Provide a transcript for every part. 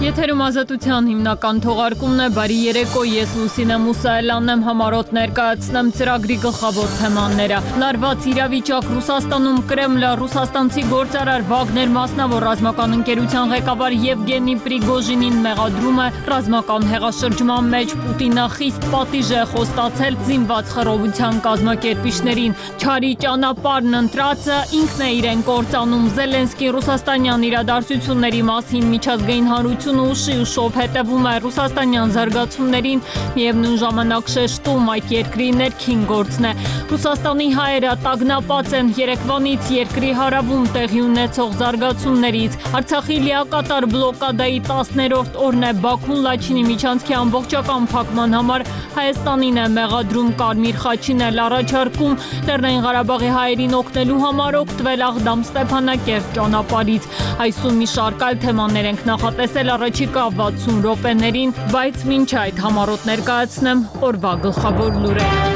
Եթերում ազատության հիմնական թողարկումն է, բարի երեկո, ես Լուսինե Մուսայելյանն եմ, համառոտ ներկայացնեմ ծրագրի գլխավոր թեմաները։ Լարված իրավիճակ Ռուսաստանում, Կրեմլը, ռուսաստանցի գործարար Վագներ մասնավոր ռազմական ընկերության ղեկավար Եվգենի Պրիգոժինին մեղադրում է ռազմական հեղաշրջման մեջ Պուտինը խիստ պատիժ է խոստացել զինված խռովության կազմակերպիչներին։ Չարի ճանապարհն ընտրածը ինքն է իրեն կործանում։ Զելենսկին ռուսաստանյան իրադարձությունների մասին միջազգային հանրություն ուշի ուշով հետևում է ռուսաստանյան զարգացումներին, միևնույն ժամանակ շեշտում այդ երկրի ներքին գործն է։ Ռուսաստանի հայերը տագնապած են երեկվանից երկրի հարավում տեղի ունեցող զարգացումներից։ Արցախի լիակատար բլոկադայի 10-րդ օրն է, Բաքուն Լաչինի միջանցքի ամբողջական փակման համար Հայաստանին է մեղադրում, Կարմիր խաչին էլ առաջարկում Լեռնային Ղարաբաղի հայերին օգնելու համար օգտվել Աղդամ Ստեփանակերտ ճանապարհից։ Այսօր մի շարք այլ թեմաներ ենք նախատեսել առաջիկա 60 րոպեներին, բայց մինչ այդ համառոտ ներկայացնեմ օրվա գլխավոր լուրերը։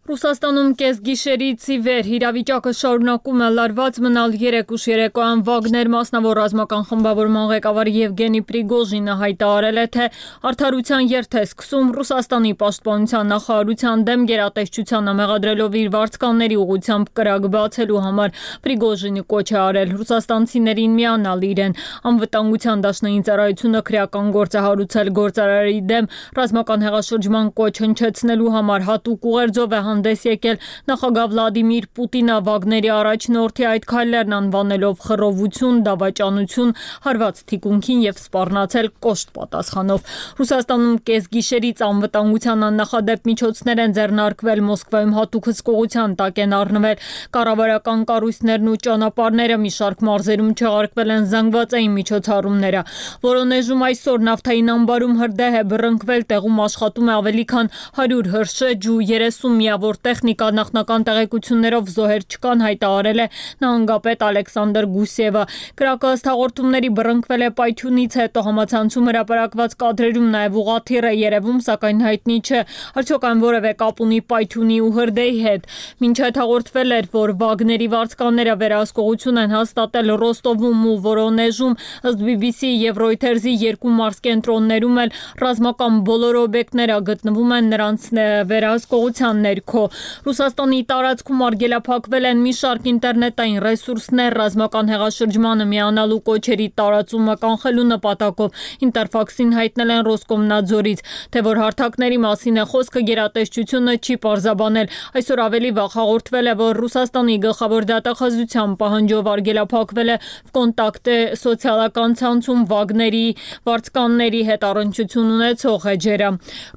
Ռուսաստանում կեսգիշերից ի վեր իրավիճակը շարունակում է լարված մնալ։ Երեկ ուշ երեկոյան Վագներ մասնավոր ռազմական խմբավորման ղեկավար Եվգենի Պրիգոժինը հայտարարել է, թե արդարության երթ է սկսում Ռուսաստանի պաշտպանության նախարարության դեմ գերատեսչությանը մեղադրելով իր վարձկանների ուղղությամբ կրակ բացելու համար։ Պրիգոժինը կոչ է արել ռուսաստանցիներին միանալ իրեն։ Անվտանգության դաշնային ծառայությունը քրեական գործ է հարուցել գործարարի դեմ ռազմական հեղաշրջման կոչ հնչեցնելու համար հատուկ ուղերձով է հանդես եկել նախագահ Վլադիմիր Պուտինը Վագների առաջնորդի այդ քայլերն անվանելով խռովություն, դավաճանություն, հարված թիկունքին եւ սպառնացել կոշտ պատասխանով։ Ռուսաստանում կեսգիշերից անվտանգության աննախադեպ միջոցներ են ձեռնարկվել, Մոսկվայում հատուկ հսկողության տակ են առնվել կառավարական կառույցներն ու ճանապարհները, մի շարք մարզերում չեղարկվել են զանգվածային միջոցառումները։ Որոնեժում այսօր նավթային ամբարում հրդեհ է բռնկվել, տեղում աշխատում է ավելի քան 100 հրշեջ ու 30 միավոր տեխնիկա, նախնական տեղեկություններով զոհեր չկան, հայտարարել է նահանգապետ Ալեքսանդր Գուսևը։ Կրակը ըստ հաղորդումների բռնկվել է պայթյունից հետո, համացանցում հրապարակված կադրերում նաև ուղղաթիռ է երևում, սակայն հայտնի չէ արդյոք այն որևէ կապ ունի պայթյունի ու հրդեհի հետ։ Մինչ այդ հաղորդվել էր, որ Վագների վարձկանները վերահսկողություն են հաստատել Ռոստովում ու Վորոնեժում, ըստ BBC եւ Reuters-ի երկու մարզկենտրոններում էլ ռազմական բոլոր օբյեկտները գտնվում են նրանց վերահսկողության ներքո։ Ռուսաստանի տարածքում արգելափակվել են մի շարք ինտերնետային ռեսուրսներ ռազմական հեղաշրջմանը միանալու կոչերի տարածումը կանխելու նպատակով։ Ինտերֆաքսին հայտնել են Ռոսկոմնadzորից, թե որ հարթակների մասին է խոսքը, գերատեսչությունը չի պարզաբանել։ Այսօր ավելի վաղ հաղորդվել է, որ Ռուսաստանի գլխավոր դատախազության պահանջով արգելափակվել է Վկոնտակտե սոցիալական ցանցում Վագների վարձկանների հետ առնչություն ունեցող էջերը։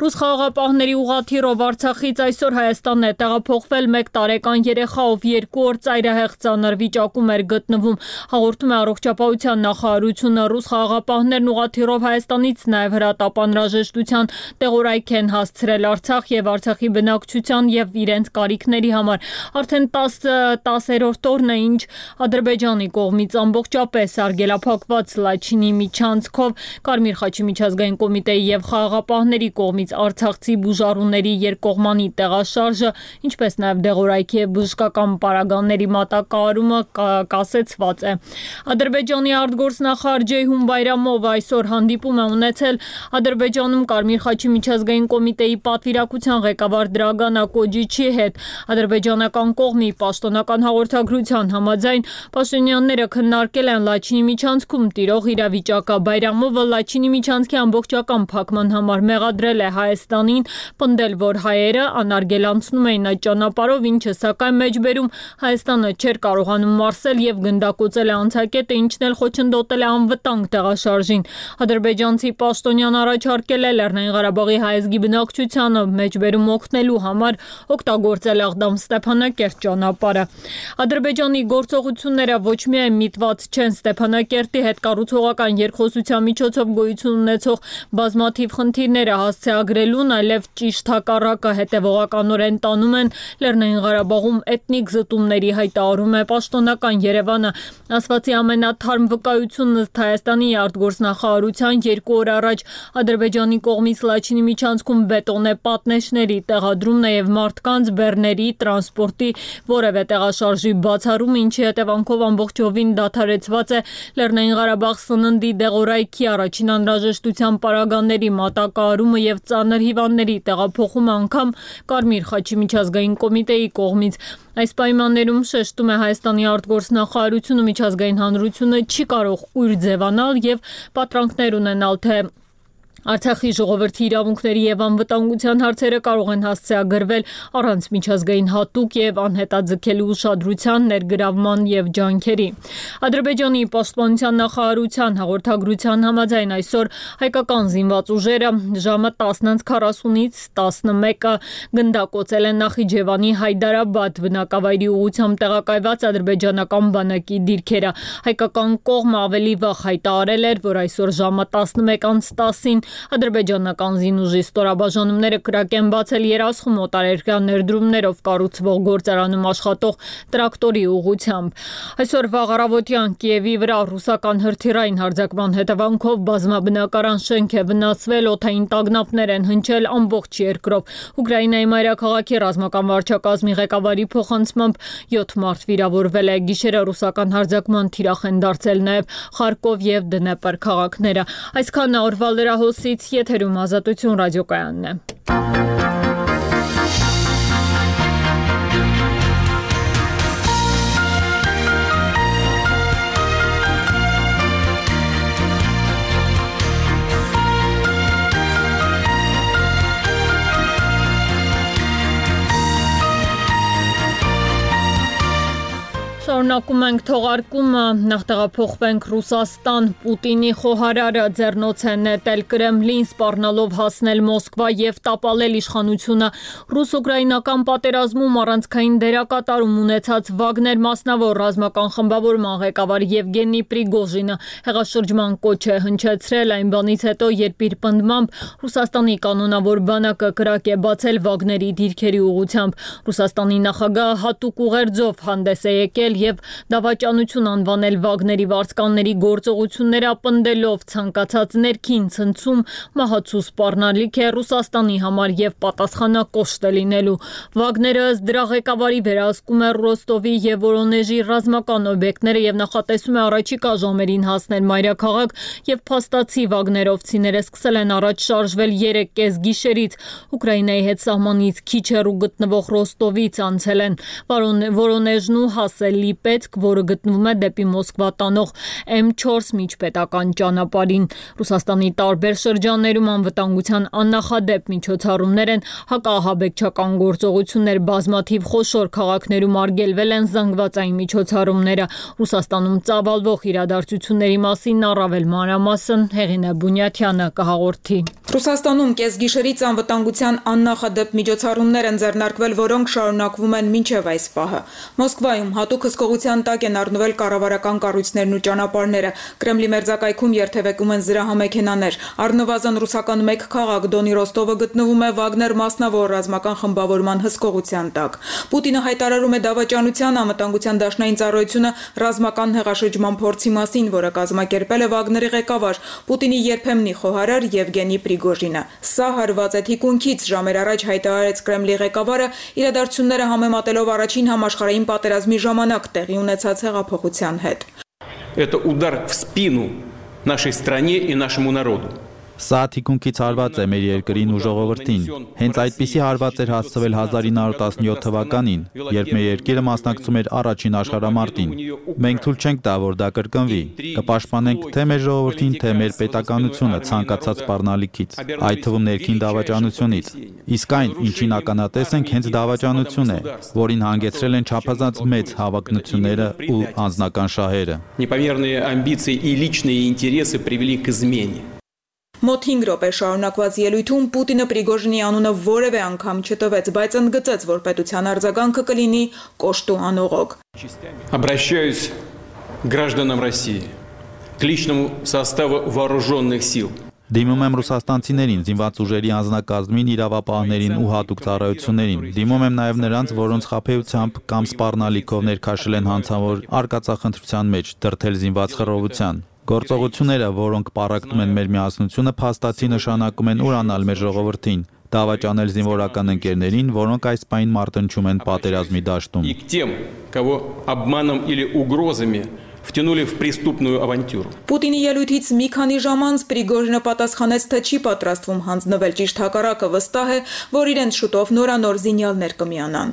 Ռուս խաղաղապահների ուղղաթիռով Արցախից այսօր Հայաստան է տեղափոխվել մեկ տարեկան երեխա, ով 2 օր ծայրահեղ ծանր վիճակում էր գտնվում։ Հաղորդում է առողջապահության նախարարությունը։ Ռուս խաղաղապահներն ուղղաթիռով Հայաստանից նաև հրատապանրաժեշտության տեղորայք են հասցրել Արցախ եւ Արցախի բնակչության եւ իրենց կարիքների համար։ Արդեն 10-րդ օրն է, ինչ Ադրբեջանի կողմից ամբողջապես արգելափակված Լաչինի միջանցքով Կարմիր խաչի միջազգային կոմիտեի եւ խաղաղապահների կողմից արցախցի բուժառուների երկկողմանի տեղաշարժը, ինչպես նաև դեղորայքի եւ բժշկական պարագաների մատակարարումը կասեցված է։ Ադրբեջանի արտգործնախարար Ջեյհուն Բայրամովը այսօր հանդիպում է ունեցել Ադրբեջանում Կարմիր խաչի միջազգային կոմիտեի պատվիրակության ղեկավար Դրագան Ակոջիչի հետ։ Ադրբեջանական կողմի պաշտոնական հաղորդագրության համաձայն պաշտոնյաները քննարկել են Լաչինի միջանցքում տիրող իրավիճակը։ Բայրամովը Լաչինի միջանցքի ամբողջական փակման համար մեղադրել է Հայաստանին, պնդել, որ հայերը անարգելանցնում էին այդ ճանապարհով, ինչը սակայն մեջբերում Հայաստանը չէր կարողանում մարսել եւ գնդակոծել է անցակետը, ինչն էլ խոչընդոտել է անվտանգ տեղաշարժին։ Ադրբեջանցի պաշտոնյան առաջարկել է Լեռնային Ղարաբաղի հայազգի բնակչությանը մեջբերում օգնելու համար օգտագործել Աղդամ Ստեփանակերտ ճանապարհը։ Ադրբեջանի գործողությունները ոչ միայն միտված չեն Ստեփանակերտի հետ կառուցողական երկխոսության միջոցով գոյություն ունեցող բազմաթիվ խնդիրները հասցեագրելուն, այլև ճիշտ հակառակը հետևողականորեն տանում են Լեռնային Ղարաբաղում էթնիկ զտումների հայտարարում է պաշտոնական Երևանը։ Ասվածի ամենաթարմ վկայությունն ըստ Հայաստանի արտգործնախարարության 2 օր առաջ Ադրբեջանի կողմից Լաչինի միջանցքում բետոնե պատնեշների տեղադրումն է եւ մարդկանց, բեռների, տրանսպորտի որևէ տեղաշարժի բացառում, ինչի հետևանքով ամբողջովին դադարեցված է Լեռնային Ղարաբաղ սննդի դեղորայքի առաջին անհրաժեշտության պարագաների մատակարարումը եւ ծանր հիվանդների տեղափոխումը անգամ Կարմիր խաչի միջազգային կոմիտեի կողմից։ Այս պայմաններում շեշտում է Հայաստանի արտգործնախարարությունը միջազգային հանրությունը չի կարող կույր ձևանալ եւ պատրանքներ ունենալ, թե Արցախի ժողովրդի իրավունքների եւ անվտանգության հարցերը կարող են հասցեագրվել առանց միջազգային հատուկ եւ անհետաձգելի ուշադրության, ներգրավման եւ ջանքերի։ Ադրբեջանի պաշտպանության նախարարության հաղորդագրության համաձայն այսօր հայկական զինված ուժերը ժամը 10:40-ից 11-ը գնդակոծել են Նախիջևանի Հայդարաբադ բնակավայրի ուղղությամբ տեղակայված ադրբեջանական բանակի դիրքերը։ Հայկական կողմը ավելի վաղ հայտարարել էր, որ այսօր ժամը 11:10-ին ադրբեջանական զինուժի ստորաբաժանումները կրակ են բացել Երասխում օտարերկրյա ներդրումներով կառուցվող գործարանում աշխատող տրակտորի ուղղությամբ։ Այսօր վաղ առավոտյան Կիևի վրա ռուսական հրթիռային հարձակման հետևանքով բազմաբնակարան շենք է վնասվել, օդային տագնապներ են հնչել ամբողջ երկրով։ Ուկրաինայի մայրաքաղաքի ռազմական վարչակազմի ղեկավարի փոխանցմամբ 7 մարդ վիրավորվել է։ Գիշերը ռուսական հարձակման թիրախ են դարձել նաև Խարկով եւ Դնեպր քաղաքները։ Այսքան օրվա լրահոսից եթերում Ազատություն ռադիոկայանն է։ Շարունակում ենք թողարկումը, նախտեղափոխվենք Ռուսաստան, Պուտինի խոհարարը ձեռնոց է նետել Կրեմլին, սպառնալով հասնել Մոսկվա եւ տապալել իշխանությունը ռուս-ուկրաինական պատերազմում առանցքային դերակատարում ունեցած Վագներ մասնավոր ռազմական խմբավորման ղեկավար Եվգենի Պրիգոժինը հեղաշրջման կոչ է հնչեցրել այն բանից հետո, երբ իր պնդմամբ Ռուսաստանի կանոնավոր բանակը կրակ է բացել Վագների դիրքերի ուղղությամբ։ Ռուսաստանի նախագահը հատուկ ուղերձով հանդես է եկել եւ դավաճանություն անվանել Վագների վարձկանների գործողությունները ապնդելով ցանկացած ներքին ցնցում մահացու սպառնալիք է Ռուսաստանի համար եւ պատասխանակոշտ է լինելու։ Վագները ըստ դրա ղեկավարի վերահսկում է Ռոստովի եւ Վորոնեժի ռազմական օբյեկտները եւ նախատեսում է առաջիկա ժամերին հասնել մայրաքաղաք եւ փաստացի Վագներովցիները սկսել են առաջ շարժվել 3:30 գիշերից Ուկրաինայի հետ սահմանից քիչ հեռու գտնվող Ռոստովից անցել են Վորոնեժն ու հասել Լիպեցկ, որը գտնվում է դեպի Մոսկվա տանող M4 միջպետական ճանապարհին։ Ռուսաստանի տարբեր շրջաններում անվտանգության աննախադեպ միջոցառումներ են, հակաահաբեկչական գործողություններ, բազմաթիվ խոշոր քաղաքներում արգելվել են զանգվածային միջոցառումները։ Ռուսաստանում ծավալվող իրադարձությունների մասին առավել մանրամասն Հեղինե Բունյաթյանը կհաղորդի։ Ռուսաստանում կեսգիշերից անվտանգության աննախադեպ միջոցառումներ են ձեռնարկվել, որոնք շարունակվում են մինչև այս պահը։ Մոսկվայում հատուկ հսկողության տակ են առնվել կառավարական կառույցներն ու ճանապարհները։ Կրեմլի մերձակայքում երթևեկում են զրահամեքենաներ։ Առնվազն ռուսական մեկ քաղաք Դոնի Ռոստովը գտնվում է Վագներ մասնավոր ռազմական խմբավորման հսկողության տակ։ Պուտինը հայտարարում է դավաճանության անվտանգության դաշնային ծառայությունը ռազմական հեղաշրջման փորձի մասին, որը կազմակերպել է Վագների ղեկավար Պուտինի երբեմնի խոհարար Եվգենի Պրիգոժինը։ Սա հարված է թիկունքից, ժամեր առաջ հայտարարեց Կրեմլի ղեկավարը, իրադարձությունները համեմատելով առաջին համաշխարհային պատերազմի ժամանակ տեղի ունեցած հեղափոխության հետ։ Это удар в спину нашей стране и нашему народу. Սա թիկունքից հարված է մեր երկրին ու ժողովրդին։ Հենց այդպիսի հարված էր հասցվել 1917 թվականին, երբ մեր երկիրը մասնակցում էր առաջին աշխարհամարտին։ Մենք թույլ չենք տա, որ դա կրկնվի։ Կպաշտպանենք թե մեր ժողովրդին, թե մեր պետականությունը ցանկացած սպառնալիքից, այդ թվում ներքին դավաճանությունից։ Իսկ այն, ինչին ականատես ենք, հենց դավաճանություն է, որին հանգեցրել են չափազանց մեծ հավակնությունները ու անձնական շահերը։ Непомерные амбиции и личные интересы привели к измене. Մոտ 5 րոպե շարունակված ելույթում Պուտինը Պրիգոժինի անունը որևէ անգամ չտվեց, բայց ընդգծեց, որ պետության արձագանքը կլինի կոշտ ու անողոք։ Обращаюсь к гражданам России, к личному составу вооруженных сил. Դիմում եմ ռուսաստանցիներին, զինված ուժերի անձնակազմին, իրավապահներին ու հատուկ ծառայություններին։ Դիմում եմ նաև նրանց, որոնց խաբեությամբ կամ սպառնալիքով ներքաշել են հանցավոր արկածախնդրության մեջ, դրդել զինված խռովության։ Գործողությունները, որոնք պառակտում են մեր միասնությունը, փաստացի նշանակում են ուրանալ մեր ժողովրդին, դավաճանել զինվորական ընկերներին, որոնք այս պահին մարտնչում են պատերազմի դաշտում։ И к тем, кого обманом или угрозами втянули в преступную авантюру. Պուտինի ելույթից մի քանի ժամ անց Պրիգոժինը պատասխանեց, թե չի պատրաստվում հանձնվել, ճիշտ հակառակը վստահ է, որ իրենց շուտով նորանոր զինյալներ կմիանան։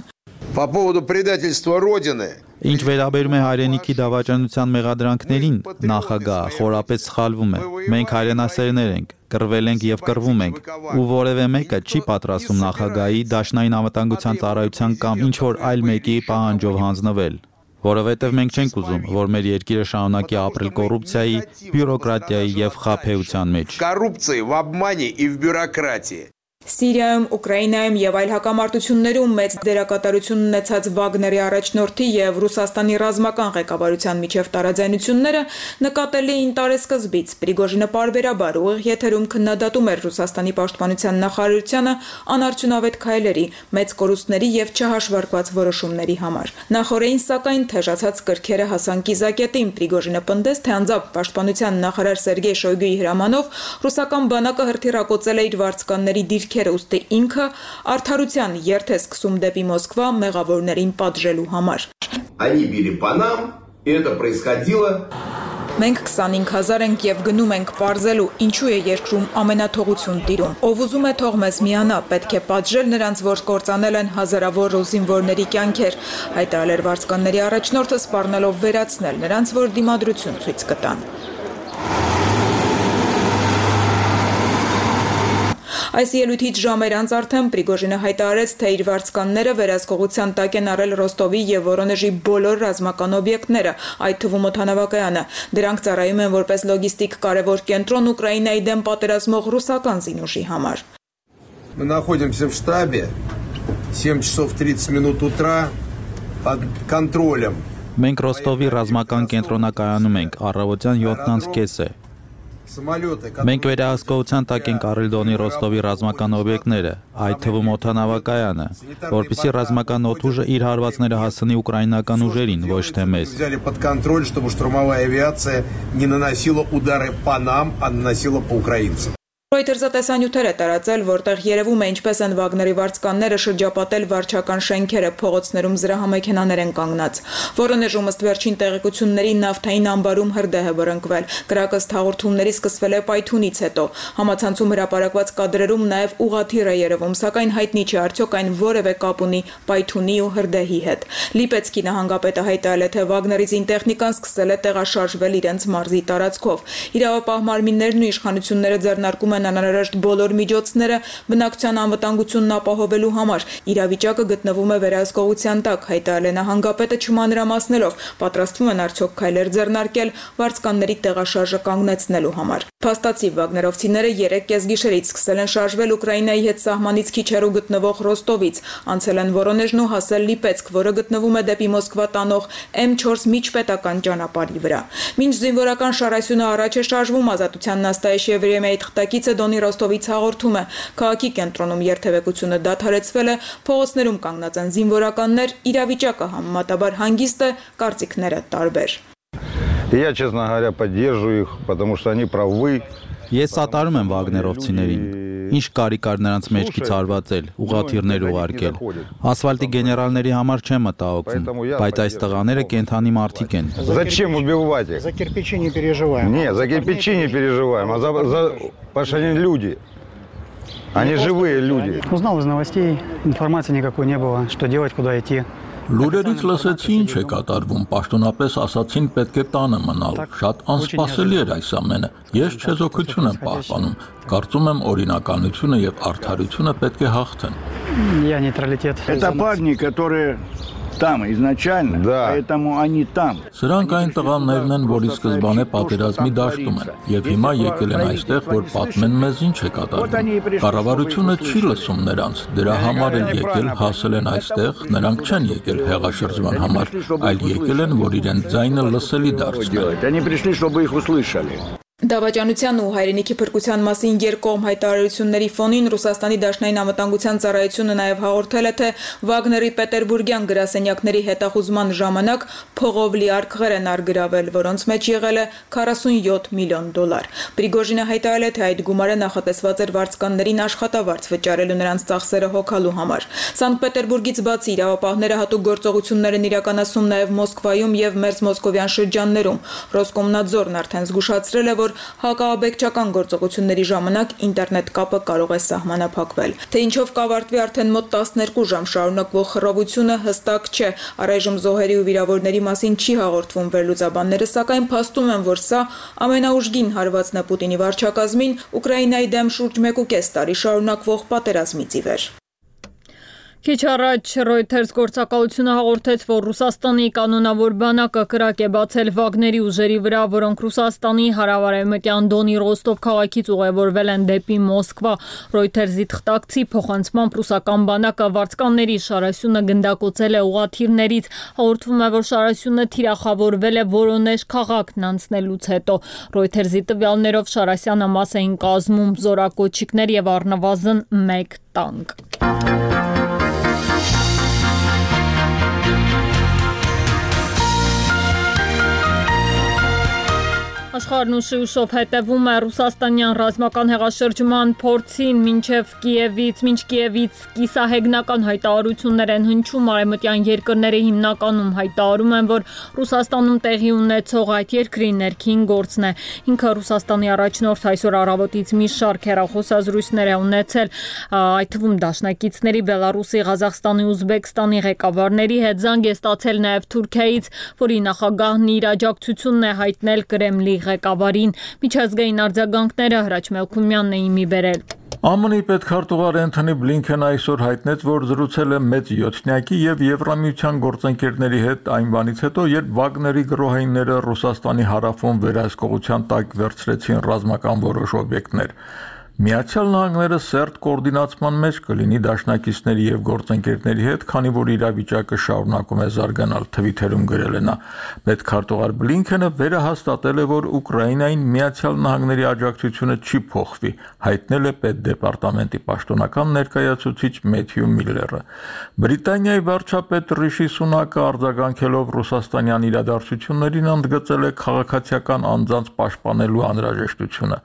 По поводу предательства Родины. Ինչ վերաբերում է հայրենիքի դավաճանության մեղադրանքներին, նախագահը խորապես սխալվում է։ Մենք հայրենասերներ ենք, կռվել ենք եւ կռվում ենք, ու որևէ մեկը չի պատրաստվում նախագահի, դաշնային անվտանգության ծառայության կամ ինչ որ այլ մեկի պահանջով հանձնվել։ Որովհետև մենք չենք ուզում, որ մեր երկիրը շարունակի ապրել կոռուպցիայի, բյուրոկրատիայի եւ խաբեության մեջ։ Коррупции, в обмане и в бюрократии. Սիրիայում, Ուկրաինայում եւ այլ հակամարտություններում մեծ դերակատարություն ունեցած Վագների առաջնորդի եւ Ռուսաստանի ռազմական ղեկավարության միջև տարաձայնությունները նկատելի էին տարեսկզբից։ Պրիգոժինը պարբերաբար ուղիղ եթերում քննադատում էր Ռուսաստանի պաշտպանության նախարարությանը անարդյունավետ քայլերի, մեծ կորուստների եւ չհաշվարկված որոշումների համար։ Նախորդին սակայն թեժացած կրքերը հասան կիզակետին։ Պրիգոժինը պնդեց, թե անձամբ պաշտպանության նախարար Սերգեյ Շոյգուի հրամանով ռուսական բանակը հրթիռակոծել է իր վարձկանների դիրքերը, ուստի ինքը արդարության երթ է սկսում դեպի Մոսկվա մեղավորներին պատժելու համար։ Они били по нам, и это происходило. Մենք 25000 ենք եւ գնում ենք պարզելու, ինչու է երկրում ամենաթողություն տիրում։ Ով ուզում է թող մեզ միանա, պետք է պատժել նրանց, որ կործանել են հազարավոր զինվորների կյանքեր, հայտարարել վարձկանների առաջնորդը, սպառնալով վերացնել նրանց, որ դիմադրություն ցույց կտան։ Այս ելույթից ժամեր անց արդեն Պրիգոժինը հայտարարեց, թե իր վարձկանները վերահսկողության տակ են առել Ռոստովի եւ Վորոնեժի բոլոր ռազմական օբյեկտները, այդ թվում օդանավակայանը։ Դրանք ծառայում են որպես լոգիստիկ կարևոր կենտրոն Ուկրաինայի դեմ պատերազմող ռուսական զինուժի համար։ Мы находимся в штабе, 7 часов 30 минут утра, под контролем. Մենք Ռոստովի ռազմական կենտրոնակայանում ենք, առավոտյան 7:30 է։ Մենք վերահսկողության տակ ենք առել Դոնի Ռոստովի ռազմական օբյեկտները, այդ թվում օդանավակայանը, որպեսզի ռազմական օդուժը իր հարվածները հասցնի ուկրաինական ուժերին, ոչ թե մեզ։ Взяли под контроль, чтобы штурмовая авиация не наносила удары по нам, а наносила по украинцам. Reuters-ը տեսանյութեր է տարածել, որտեղ երևում է ինչպես են Վագների վարձկանները շրջապատել վարչական շենքերը, փողոցներում զրահամեքենաներ են կանգնած։ Վորոնեժում ըստ վերջին տեղեկությունների նավթային ամբարում հրդեհ է բռնկվել։ Կրակը հաղորդումների սկսվել է պայթունից հետո։ Համացանցում հրապարակված կադրերում նաև ուղղաթիռ է երևում, սակայն հայտնի չէ արդյոք այն որևէ կապ ունի պայթունի ու հրդեհի հետ։ Լիպեցկի նահանգապետը հայտարարել է, թե Վագների զինտեխնիկան սկսել է տեղաշարժվել իրենց մարզի տարածքով։ Իրավապահ մարմիններն ու իշխանությունները ձեռնարկում են անհրաժեշտ բոլոր միջոցները բնակչության անվտանգությունն ապահովելու համար։ Իրավիճակը գտնվում է վերահսկողության տակ, հայտարարել է նահանգապետը չմանրամասնելով, պատրաստվում են արդյոք քայլեր ձեռնարկել վարձկանների տեղաշարժը կանգնեցնելու համար։ Փաստացի Վագներովցիները 3 կեսգիշերից սկսել են շարժվել Ուկրաինայի հետ սահմանից քիչ հեռու գտնվող Ռոստովից, անցել են Վորոնեժն ու հասել Լիպեցկ, որը գտնվում է դեպի Մոսկվա տանող M4 միջպետական ճանապարհի վրա։ Մինչ զինվորական շարասյունը առաջ է շարժվում, Ազատության նաստայ Շևրեմեի թղթակիցը Դոնի Ռոստովից հաղորդում է, քաղաքի կենտրոնում երթևեկությունը դադարեցվել է, փողոցներում կանգնած են զինվորականներ, իրավիճակը համեմատաբար հանգիստ է, կարծիքները տարբեր։ Я, честно говоря, поддерживаю их, потому что они правы. Ես սատարում եմ Վագներովցիներին։ Ինչ կարիք կար նրանց մեջքից հարվածել, ուղղաթիռներ ուղարկել։ Ասֆալտի գեներալների համար չեմ մտահոգվում, բայց այս տղաները кентանի մարդիկ են։ Зачем убивать их? За кирпичи не переживаем. Нет, за кирпичи не переживаем, а потому что они люди. Они живые люди. Узнал из новостей, информации никакой не было, что делать, куда идти. Լուրերից լսեցի ինչ է կատարվում, պաշտոնապես ասացին պետք է տանը մնալ, շատ անսպասելի էր այս ամենը, ես չեզոքություն եմ պահպանում, կարծում եմ օրինականությունը և արդարությունը պետք է հաղթեն։ Я нейтралитет. Это парни, которые там изначально, поэтому они там. Սրանք այն տղաներն են, որի սկզբանե պատերազմի դաշտում են, և հիմա եկել են այստեղ, որ պատմեն մեզ ինչ է կատարվում։ Կառավարությունը չի լսում նրանց, դրա համար են եկել, հասել են այստեղ, նրանք չեն եկել հեղաշրջման համար, այլ եկել են, որ իրենց ձայնը լսելի դարձնեն։ Они пришли, чтобы их услышали. Դավաճանության ու հայրենիքի փրկության մասին երկկողմ հայտարարությունների ֆոնին Ռուսաստանի Դաշնային անվտանգության ծառայությունը նաև հաղորդել է, թե Վագների պետերբուրգյան գրասենյակների հետախուզման ժամանակ փողով լի արկղեր են արգրավել, որոնց մեջ եղել է $47 միլիոն։ Պրիգոժինը հայտարարել է, թե այդ գումարը նախատեսված էր վարձկաններին աշխատավարձ վճարելու նրանց ծախսերը հոգալու համար։ Սանկտ Պետերբուրգից բացի իրավապահները հատուկ գործողություններ են իրականացնում նաև Մոսկվայում եւ Մերձ Մոսկովյան շրջաններում։ Ռոսկոմնadzորն արդեն զգուշացրել է, որ հակաաբեկչական գործողությունների ժամանակ ինտերնետ կապը կարող է սահմանափակվել։ Թե ինչով կավարտվի արդեն մոտ 12 ժամ շարունակվող խռովությունը հստակ չէ։ Առայժմ զոհերի ու վիրավորների մասին չի հաղորդվում վերլուծաբանները, սակայն փաստում են, որ սա ամենաուժգին հարվածն է Պուտինի վարչակազմին Ուկրաինայի դեմ շուրջ 1.5 տարի շարունակվող պատերազմից ի վեր։ Քիչ առաջ Reuters գործակալությունը հաղորդեց, որ Ռուսաստանի կանոնավոր բանակը կրակ է բացել Վագների ուժերի վրա, որոնք Ռուսաստանի հարավարևմտյան Դոնի Ռոստով քաղաքից ուղևորվել են դեպի Մոսկվա։ Reuters-ի թղթակցի փոխանցմամբ ռուսական բանակը վարձկանների շարասյունը գնդակոծել է ուղղաթիռներից։ Հաղորդվում է, որ շարասյունը թիրախավորվել է Որոնեժ քաղաքն անցնելուց հետո։ Reuters-ի տվյալներով շարասյանը մաս էին կազմում զորակոչիկներ եւ առնվազն 1 տանկ։ Աշխարհն ուշով հետևում է ռուսաստանյան ռազմական հեղաշրջման փորձին մինչ Կիևից կիսահեգնական հայտարարություններ են հնչում, արևմտյան երկրները հիմնականում հայտարարում են, որ Ռուսաստանում տեղի ունեցող այդ երկրի ներքին գործն է։ Ինքը Ռուսաստանի առաջնորդ այսօր առավոտից մի շարք հեռախոսազրույցներ է ունեցել, այդ թվում դաշնակիցների Բելարուսի, Ղազախստանի, Ուզբեկստանի ղեկավարների հետ, զանգ է ստացել նաև Թուրքիայից, որի նախագահն իր աջակցությունն է հայտնել Կրեմլի ղեկավարին։ Միջազգային արձագանքները Հրաչ Մելքումյանն էին մի բերել։ ԱՄՆ-ի պետքարտուղար Էնթոնի Բլինքենը այսօր հայտնեց, որ զրուցել է մեծ յոթնյակի եւ Եվրամիության գործընկերների հետ այն բանից հետո, երբ Վագների գրոհայինները Ռուսաստանի հարավում վերահսկողության տակ վերցրեցին ռազմական որոշ օբյեկտներ։ Միացյալ Նահանգները սերտ կոորդինացման մեջ կլինի դաշնակիցների եւ գործընկերների հետ, քանի որ իրավիճակը շարունակում է զարգանալ, Թվիթերում գրել է նա։ Պետքարտուղար Բլինքենը վերահաստատել է, որ Ուկրաինային Միացյալ Նահանգների աջակցությունը չի փոխվի, հայտնել է պետդեպարտամենտի պաշտոնական ներկայացուցիչ Մեթյու Միլլերը։ Բրիտանիայի վարչապետ Ռիշի Սունակը արձագանքելով ռուսաստանյան իրադարձություններին ընդգծել է քաղաքացիական անձանց պաշտպանելու անհրաժեշտությունը։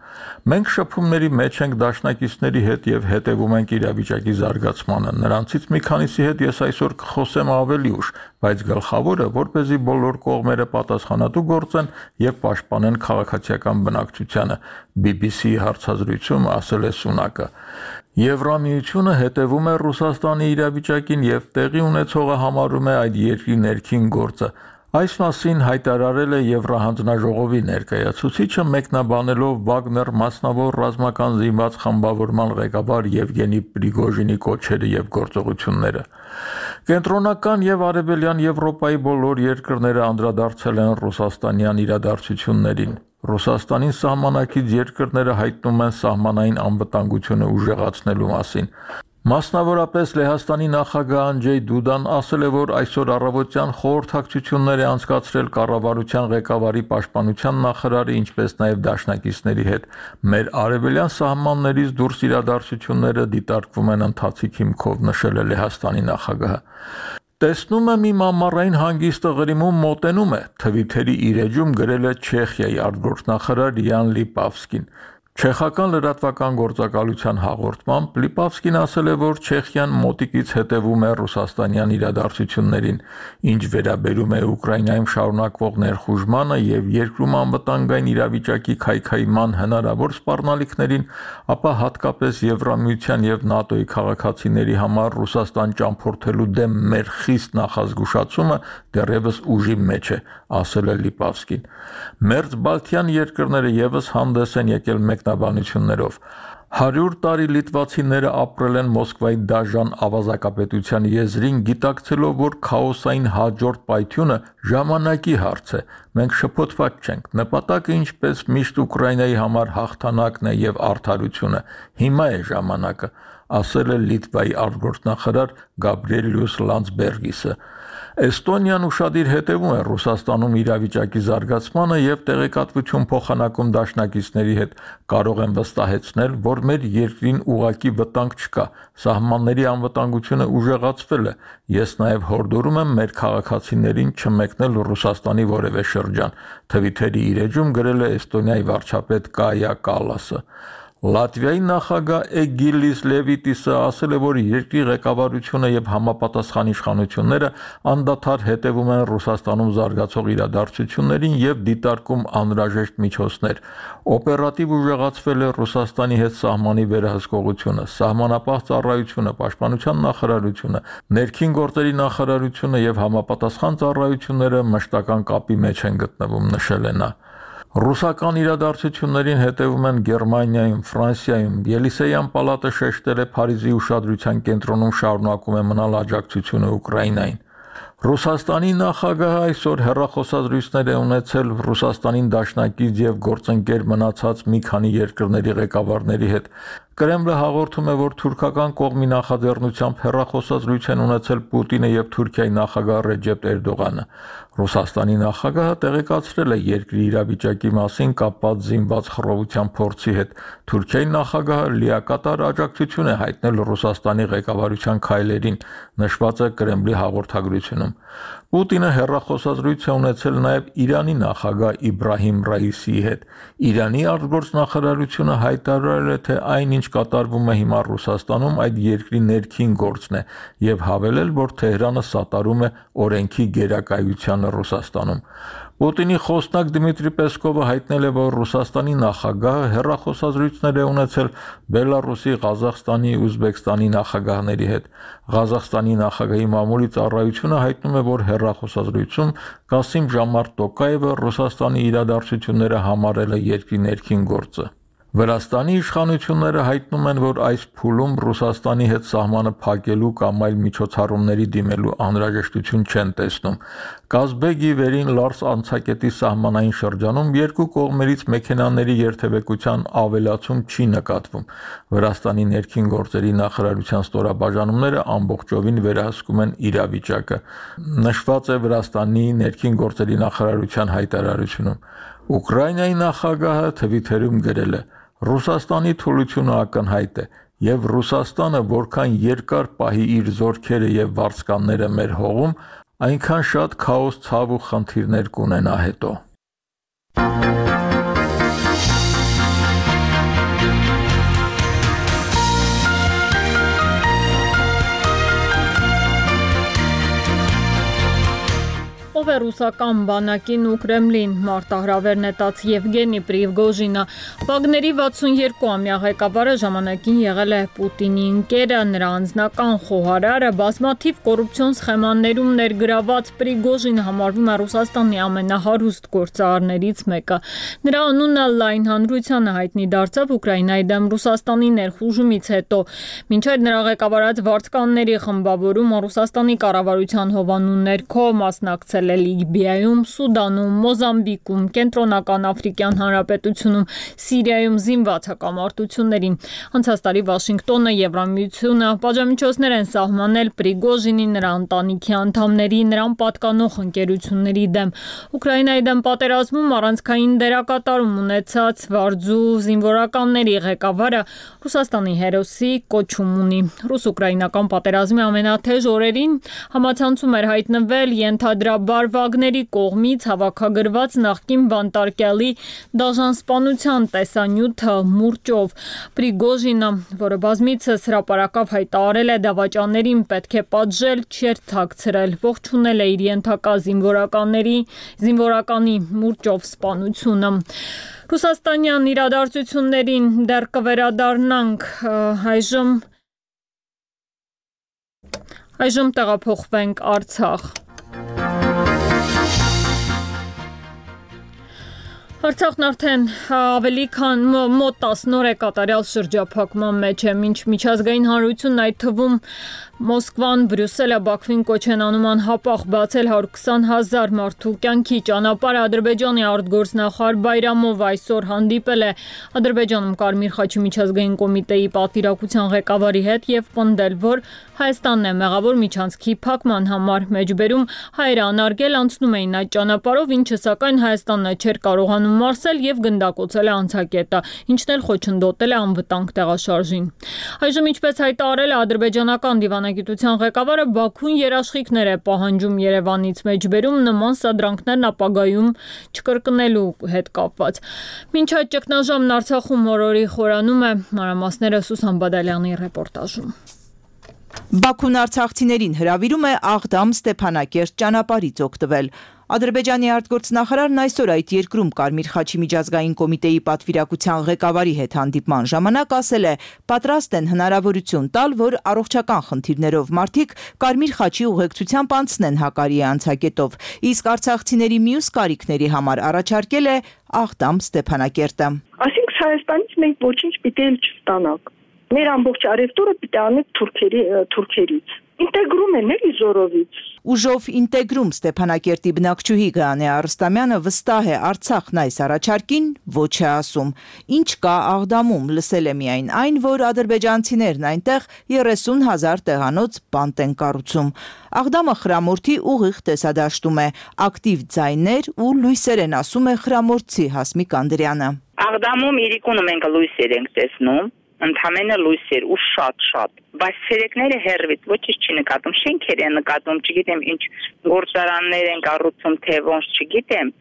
Մենք շփումների մեջ ենք դաշնակիցների հետ եւ հետևում ենք իրավիճակի զարգացմանը։ Նրանցից մի քանիսի հետ ես այսօր կխոսեմ ավելի ուշ, բայց գլխավորը, որպեսզի բոլոր կողմերը պատասխանատու գործեն եւ պաշտպանեն քաղաքացիական բնակչությանը, BBC-ի հարցազրույցում ասել է Սունակը։ Եվրամիությունը հետևում է Ռուսաստանի իրավիճակին եւ տեղի ունեցողը համարում է այդ երկրի ներքին գործը։ Այս մասին հայտարարել է Եվրահանձնաժողովի ներկայացուցիչը, մեկնաբանելով Վագներ մասնավոր ռազմական զինված խմբավորման ղեկավար Եվգենի Պրիգոժինի կոչերը եւ գործողությունները։ Կենտրոնական եւ արևելյան Եվրոպայի բոլոր երկրները անդրադարձել են ռուսաստանյան իրադարձություններին։ Ռուսաստանին սահմանակից երկրները հայտնում են սահմանային անվտանգությունը ուժեղացնելու մասին։ Մասնավորապես Լեհաստանի նախագահ Անջեյ Դուդան ասել է, որ այսօր առավոտյան խորհրդակցություններ է անցկացրել կառավարության ղեկավարի պաշտպանության նախարարի, ինչպես նաև դաշնակիցների հետ։ Մեր արևելյան սահմաններից դուրս իրադարձությունները դիտարկվում են ընթացիկ հիմքով, նշել է Լեհաստանի նախագահը։ Տեսնում եմ իմ ամառային հանգիստը Ղրիմում մոտենում է, Թվիթերի իր էջում գրել է Չեխիայի արտգործնախարար Յան Լիպավսկին։ Չեխական լրատվական գործակալության հաղորդմամբ Լիպավսկին ասել է, որ Չեխիան մոտիկից հետևում է ռուսաստանյան իրադարձություններին, ինչ վերաբերում է Ուկրաինայում շարունակվող ներխուժմանը եւ երկրում անվտանգային իրավիճակի քայքայման հնարավոր սպառնալիքներին, ապա հատկապես Եվրամիության եւ ՆԱՏՕ-ի քաղաքացիների համար Ռուսաստան ճամփորդելու դեմ մեր խիստ նախազգուշացումը դեռևս ուժի մեջ է, ասել է Լիպավսկին։ Մերձ Բալթյան երկրները եւս հանդես են եկել մեկնաբանություններով։ 100 տարի լիտվացիները ապրել են Մոսկվայի դաժան ավազակապետության եզրին, գիտակցելով, որ քաոսային հաջորդ պայթյունը ժամանակի հարց է։ Մենք շփոթված չենք։ Նպատակը ինչպես միշտ Ուկրաինայի համար հաղթանակն է եւ արդարությունը։ Հիմա է ժամանակը, ասել է Լիտվայի արտգործնախարար Գաբրիելյուս Լանdsբերգիսը։ Էստոնիան ուշադիր հետևում է Ռուսաստանում իրավիճակի զարգացմանը եւ տեղեկատվություն փոխանակում դաշնակիցների հետ, կարող են վստահեցնել, որ մեր երկրին ուղղակի վտանգ չկա, սահմանների անվտանգությունը ուժեղացվել է։ Ես նաեւ հորդորում եմ մեր քաղաքացիներին չմեկնել Ռուսաստանի որևէ շրջան, Թվիթերի իր էջում գրել է Էստոնիայի վարչապետ Կայա Կալասը։ Լատվիայի նախագահ Էգիլիս Լևիտիսը ասել է, որ երկրի ղեկավարությունը եւ համապատասխան իշխանությունները անդադար հետևում են Ռուսաստանում զարգացող իրադարձություններին եւ դիտարկում անհրաժեշտ միջոցներ։ Օպերատիվ ուժեղացվել է Ռուսաստանի հետ սահմանի վերահսկողությունը, սահմանապահ ծառայությունը, պաշտպանության նախարարությունը, ներքին գործերի նախարարությունը եւ համապատասխան ծառայությունները մշտական կապի մեջ են գտնվում, նշել է նա։ Ռուսական իրադարձություններին հետևում են Գերմանիայում, Ֆրանսիայում, Ելիսեյան պալատը շեշտել է Փարիզի ուշադրության կենտրոնում շարունակում է մնալ աջակցությունը Ուկրաինային։ Ռուսաստանի նախագահը այսօր հեռախոսազրույցներ է ունեցել Ռուսաստանին դաշնակից եւ գործընկեր մնացած մի քանի երկրների ղեկավարների հետ։ Կրեմլը հաղորդում է, որ թուրքական կողմի նախաձեռնությամբ հեռախոսազրույց են ունեցել Պուտինը եւ Թուրքիայի նախագահ Ռեջեփ Էրդողանը։ Ռուսաստանի նախագահը տեղեկացրել է երկրի իրավիճակի մասին կապված զինված խռովության փորձի հետ։ Թուրքիայի նախագահը լիակատար աջակցություն է հայտնել Ռուսաստանի ղեկավարության քայլերին, նշված է Կրեմլի հաղորդագրությունում։ Պուտինը հեռախոսազրույց է ունեցել նաև Իրանի նախագահ Իբրահիմ Ռայիսիի հետ։ Իրանի արտգործնախարարությունը հայտարարել է, թե այնինչ կատարվում է հիմա Ռուսաստանում այդ երկրի ներքին գործն է եւ հավելել, որ Թեհրանը սատարում է օրենքի գերակայությանը Ռուսաստանում։ Պուտինի խոսնակ Դմիտրի Պեսկովը հայտնել է, որ Ռուսաստանի նախագահը հեռախոսազրույցներ է ունեցել Բելարուսի, Ղազախստանի, Ուզբեկստանի նախագահների հետ։ Ղազախստանի նախագահի մամուլի ծառայությունը հայտնում է, որ հեռախոսազրույցում Կասիմ Ժամարտ Տոկաևը Ռուսաստանի իրադարձությունները համարել է երկրի ներքին գործը։ Վրաստանի իշխանությունները հայտնում են, որ այս փուլում Ռուսաստանի հետ սահմանը փակելու կամ այլ միջոցառումների դիմելու անհրաժեշտություն չեն տեսնում։ Կազբեգի վերին Լարս անցակետի սահմանային շրջանում երկու կողմերից մեքենաների երթևեկության ավելացում չի նկատվում։ Վրաստանի ներքին գործերի նախարարության ստորաբաժանումները ամբողջովին վերահսկում են իրավիճակը։ Նշված է Վրաստանի ներքին գործերի նախարարության հայտարարությունում։ Ուկրաինայի նախագահը Թվիթերում գրել է. Ռուսաստանի թուլությունը ակնհայտ է, եւ Ռուսաստանը որքան երկար պահի իր զորքերը եւ վարձկանները մեր հողում, այնքան շատ քաոս, ցավ ու խնդիրներ կունենա հետո։ Ով է ռուսական բանակին ու Կրեմլին մարտահրավեր նետած Եվգենի Պրիգոժինը, Վագների 62-ամյա ղեկավարը ժամանակին եղել է Պուտինի ընկերը, նրա անձնական խոհարարը, բազմաթիվ կոռուպցիոն սխեմաներում ներգրաված Պրիգոժինը համարվում է Ռուսաստանի ամենահարուստ գործարարներից մեկը։ Նրա անունը լայն հանրությանը հայտնի դարձավ Ուկրաինայի դեմ Ռուսաստանի ներխուժումից հետո։ Մինչև նրա ղեկավարած վարձկանների խմբավորումը Ռուսաստանի կառավարության հովանու ներքո մասնակցել Լիբիայում, Սուդանում, Մոզամբիկում, Կենտրոնական Աֆրիկյան Հանրապետությունում, Սիրիայում զինված հակամարտություններին։ Անցած տարի Վաշինգտոնը, Եվրամիությունը պատժամիջոցներ են սահմանել Պրիգոժինի, նրա ընտանիքի անդամների, նրան պատկանող ընկերությունների դեմ։ Ուկրաինայի դեմ պատերազմում առանցքային դերակատարում ունեցած վարձու զինվորականների ղեկավարը Ռուսաստանի հերոսի կոչում ունի։ Ռուս-ուկրաինական պատերազմի ամենաթեժ օրերին համացանցում էր հայտնվել ենթադրաբար Վագների կողմից հավաքագրված նախկին բանտարկյալի դաժանսպանության տեսանյութը մուրճով։ Պրիգոժինը, որը բազմիցս հրապարակավ հայտարարել է դավաճաներին պետք է պատժել, չէր թաքցրել, ողջունել է իր ենթակա զինվորականի մուրճով սպանությունը։ Ռուսաստանյան իրադարձություններին դեռ կվերադառնանք, այժմ տեղափոխվենք Արցախ։ Արցախն արդեն ավելի քան մոտ 10 օր է կատարյալ շրջափակման մեջ է, մինչ միջազգային հանրությունն այդ թվում Մոսկվան, Բրյուսելը, Բաքվին կոչ են անում անհապաղ բացել 120,000 մարդու կյանքի ճանապարհը։ Ադրբեջանի արտգործնախարար Բայրամով այսօր հանդիպել է Ադրբեջանում Կարմիր խաչի միջազգային կոմիտեի պատվիրակության ղեկավարի հետ եւ պնդել, որ Հայաստանն է մեղավոր միջանցքի փակման համար։ Մեջբերում հայերը անարգել անցնում էին այդ ճանապարհով, ինչը սակայն Հայաստանն չէր կարողանում մարսել եւ գնդակոծել է անցակետը, ինչն էլ խոչընդոտել է անվտանգ տեղաշարժին։ Այժմ ինչպես հայտարարել է ադրբեջանական դիվանագիտության ղեկավարը, Բաքուն երաշխիքներ է պահանջում Երևանից, մեջբերում նման սադրանքներն ապագայում չկրկնելու հետ կապված։ Մինչ այդ ճգնաժամն Արցախում օրորի խորանում է, մանրամասները Սուսան Բադալյանի ռեպորտաժում։ Բաքուն արցախցիներին հրավիրում է Աղդամ-Ստեփանակերտ ճանապարհից օգտվել։ Ադրբեջանի արտգործնախարարն այսօր այդ երկրում Կարմիր խաչի միջազգային կոմիտեի պատվիրակության ղեկավարի հետ հանդիպման ժամանակ ասել է, պատրաստ են հնարավորություն տալ, որ առողջական խնդիրներով մարդիկ Կարմիր խաչի ուղեկցությամբ անցնեն Հակարիի անցակետով, իսկ արցախցիների մյուս կարիքների համար առաջարկել է Աղդամ-Ստեփանակերտը։ Այսինքն Հայաստանից մենք ոչինչ պիտի չստանանք։ Մեր ամբողջ արևտուրը պիտի անենք թուրքերից։ Ինտեգրում են էլի զորովից։ Ուժով ինտեգրում Ստեփանակերտի բնակչուհի Գայանե Արստամյանը վստահ է Արցախն այս առաջարկին ոչ է ասում։ Ինչ կա Աղդամում, լսել է միայն այն, որ ադրբեջանցիներն այնտեղ 30,000 տեղանոց բանտ են կառուցում։ Աղդամը խրամորդի ուղիղ տեսադաշտում է, ակտիվ ձայներ ու լույսեր են, ասում է խրամորդցի Հասմիկ Անդրյանը։ Աղդամում իրիկունը մենք լույսեր ենք տեսնում, ընդհանրապես լույսեր ու շատ, բայց ցերեկները հերվից ոչինչ չի նկատում, շենքեր են նկատում, չգիտեմ ինչ գործարաններ են կառուցում, թե ոնց չգիտեմ,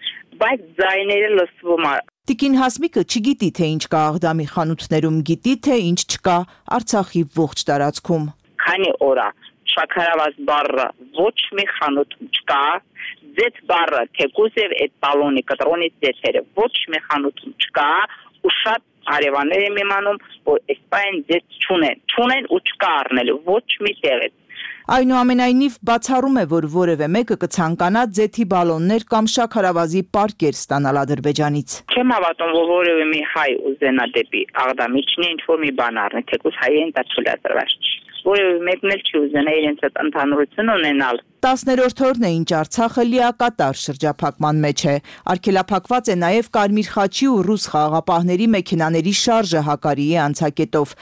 բայց ձայները լսվում է։ Տիկին Հասմիկը չգիտի, թե ինչ կա Աղդամի խանութներում, գիտի, թե ինչ չկա Արցախի ողջ տարածքում։ Քանի օր է շաքարավազ բառը ոչ մի խանութ չկա, ձեթ բառը թեկուզ եւ այդ բալոնի կտրոնից ձեթերը ոչ մի խանութում չկա ու շատ հարևաններ եմ իմանում, որ այսպայն ձեթ չունեն ու չկա առնելու ոչ մի տեղից։ Այնուամենայնիվ բացառում է, որ որևէ մեկը կցանկանա ձեթի բալոններ կամ շաքարավազի պարկեր ստանալ Ադրբեջանից։ Չեմ հավատում, որ որևէ մի հայ ուզենա դեպի Աղդամի ինչ որ մի բան առնի, թեկուզ հայերեն դա թույլատրված չի։ Որևէ մեկն էլ չի ուզենա իրենց այդ ընդհանրություն ունենալ։ 10-րդ օրն է, ինչ Արցախը լիակատար շրջափակման մեջ է։ Արգելափակված է նաև Կարմիր խաչի ու ռուս խաղաղապահների մեքենաների շարժը Հակարիի անցակետով։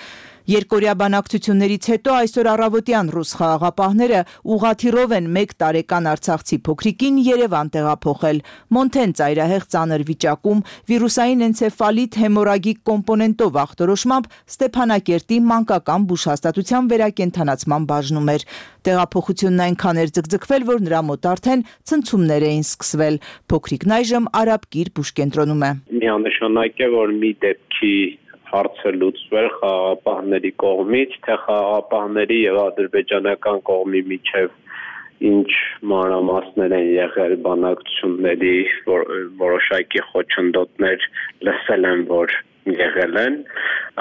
Երկօրյա բանակցություններից հետո այսօր առավոտյան ռուս խաղաղապահները ուղղաթիռով են 1 տարեկան արցախցի փոքրիկին Երևան տեղափոխել։ Մոնթեն ծայրահեղ ծանր վիճակում վիրուսային էնցեֆալիտ հեմորագիկ կոմպոնենտով ախտորոշմամբ Ստեփանակերտի մանկական բուժհաստատության վերակենդանացման բաժնում էր։ Տեղափոխությունն այնքան էր ձգձգվել, որ նրա մոտ արդեն ցնցումներ էին սկսվել։ Փոքրիկն այժմ Արաբկիր բուժկենտրոնում է։ Միանշանակ է, որ մի դեպքի հարցը լուծվել խաղաղապահների կողմից, թե խաղաղապահների եւ ադրբեջանական կողմի միջև ինչ մանրամասներ են եղել բանակցությունների, որոշակի խոչընդոտներ լսել եմ, որ եղել են,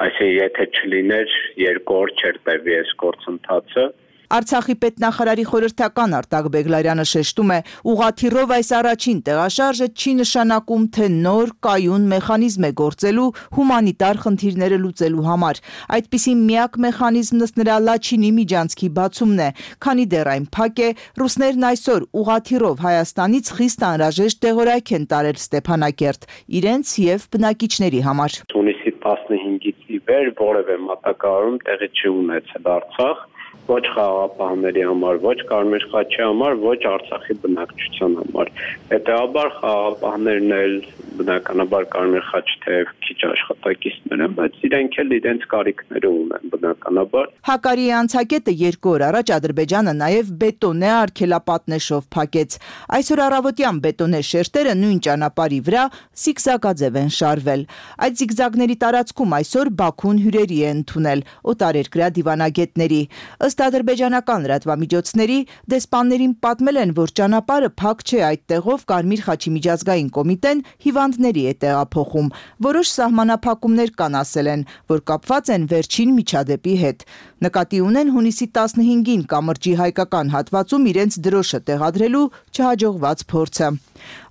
այսինքն եթե չլիներ 2 օր չէր տևի այս գործընթացը։ Արցախի պետնախարարի խորհրդական Արտակ Բեգլարյանը շեշտում է, ուղղաթիռով այս առաջին տեղաշարժը չի նշանակում, թե նոր կայուն մեխանիզմ է գործելու հումանիտար խնդիրները լուծելու համար։ Այդպիսի միակ մեխանիզմն ըստ նրա Լաչինի միջանցքի բացումն է, քանի դեռ այն փակ է, ռուսներն այսօր ուղղաթիռով Հայաստանից խիստ անհրաժեշտ տեղորայք են տարել Ստեփանակերտ իրենց եւ բնակիչների համար։ Հունիսի 15-ից ի վեր որևէ մատակարարում տեղի չի ունեցել Արցախ։ Ոչ խաղաղապահների համար, ոչ Կարմիր խաչի համար, ոչ Արցախի բնակչության համար։ Հետևաբար խաղաղապահներն էլ բնականաբար Կարմիր խաչի թեև քիչ աշխատակիցներ են, բայց իրենք էլ իրենց կարիքները ունեն բնականաբար։ Հակարիի անցակետը 2 օր առաջ Ադրբեջանը նաև բետոնե արգելապատնեշով փակեց։ Այսօր առավոտյան բետոնե շերտերը նույն ճանապարհի վրա զիգզագաձև են շարվել։ Այդ զիգզագների տարածքում այսօր Բաքուն հյուրերի է ընդունել օտարերկրյա դիվանագետների։ Ըստ ադրբեջանական լրատվամիջոցների, դեսպաններին պատմել են, որ ճանապարհը փակ չէ, այդտեղով Կարմիր խաչի միջազգային կոմիտեն հիվանդների է տեղափոխում։ Որոշ սահմանափակ շրջափակումներ կան, ասել են, որ կապված են վերջին միջադեպի հետ։ Նկատի ունեն հունիսի 15-ին կամրջի հայկական հատվածում իրենց դրոշը տեղադրելու չհաջողված փորձը։